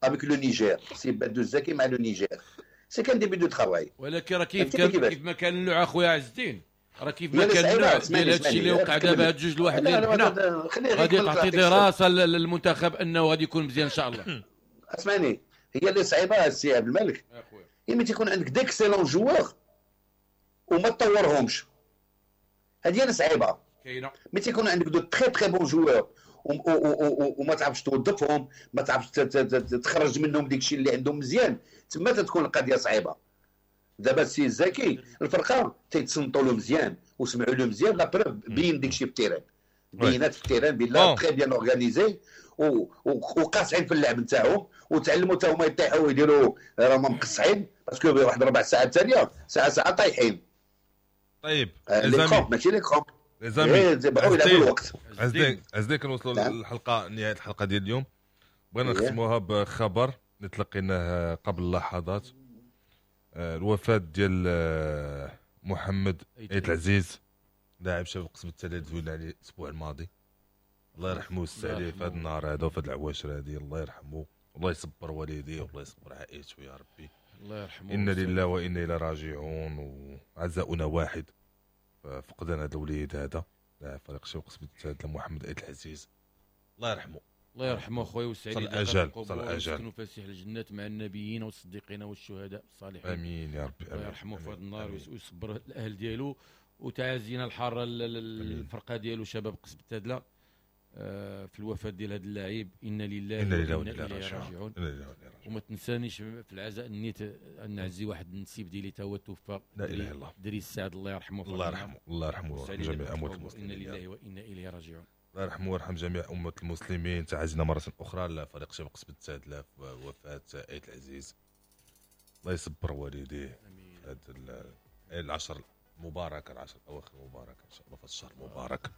avec le Niger. سي بدو الزكي مع le Niger c'est qu'un début de travail. ولكن راه كيف كان كيف ما كان النوع اخويا عز الدين، راه كيف ما كان النوع ديال هادشي اللي وقع دابا هاد جوج لواحد اللي ربحنا غادي تعطي دراسة للمنتخب انه غادي يكون مزيان ان شاء الله. اسمعني، هي اللي صعيبة السي عبد الملك، هي ملي تيكون عندك d'excellents joueurs وما تطورهمش، هذه اللي صعيبة. كاينه ملي تيكون عندك de très très bons joueurs وما تعرفش توظفهم، ما تعرفش تخرج منهم ديك الشيء اللي عندهم مزيان، تما تتكون القضية صعيبة. دابا السي الزكي الفرقة تيتصنتوا له مزيان وسمعوا له مزيان، la preuve بين ديك الشيء في ال terrain، بينات في ال terrain بلا très bien organisé وقاصعين في اللعب نتاعهم، وتعلموا حتى هما يطيحوا ويديروا راهم مقصعين parce que واحد ربع ساعة الثانية ساعة ساعة طايحين. طيب les crampes ماشي les crampes les amis، بغاو يلعبوا الوقت. عزدين عزدين كنوصلوا للحلقة، نهاية الحلقة ديال اليوم. بغينا نختموها بخبر اللي تلقيناه قبل لحظات، الوفاة ديال محمد ايت العزيز لاعب شباب قسم الثالث زوين عليه الاسبوع الماضي، الله يرحمه ويوسع عليه في هذا النهار هذا وفي هذه العواشر هذه، الله يرحمه والله يصبر والديه والله يصبر عائلته يا ربي، الله يرحمه. انا لله وانا الى راجعون، وعزاؤنا واحد فقدان هذا الوليد هذا لاعب فريق شباب قسم الثالث محمد ايت العزيز، الله يرحمه. الله يرحمه خويا ويسعد عليه الاجل، صل الاجل، وفسيح الجنات مع النبيين والصديقين والشهداء الصالحين. امين يا ربي، الله يرحمه في هذا النهار ويصبر الاهل ديالو، وتعازينا الحارة للفرقة ديالو شباب قصب التادله في الوفاة ديال هذا اللاعب. انا لله وانا اليه راجعون. وما تنسانيش في العزاء النيت ان نعزي واحد النسيب ديالي تا هو توفى، لا اله الا الله، دريس سعد الله يرحمه. الله يرحمه، الله يرحمه ويرحم جميع اموات المسلمين. انا لله وانا اليه راجعون. الله يرحمه ويرحم جميع أمة المسلمين. تعزينا مرة أخرى لفريق شباب قصبة التادلة في وفاة آيت العزيز، الله يصبر والديه في هذا العشر المباركة، العشر الأواخر المباركة إن شاء الله في الشهر المبارك.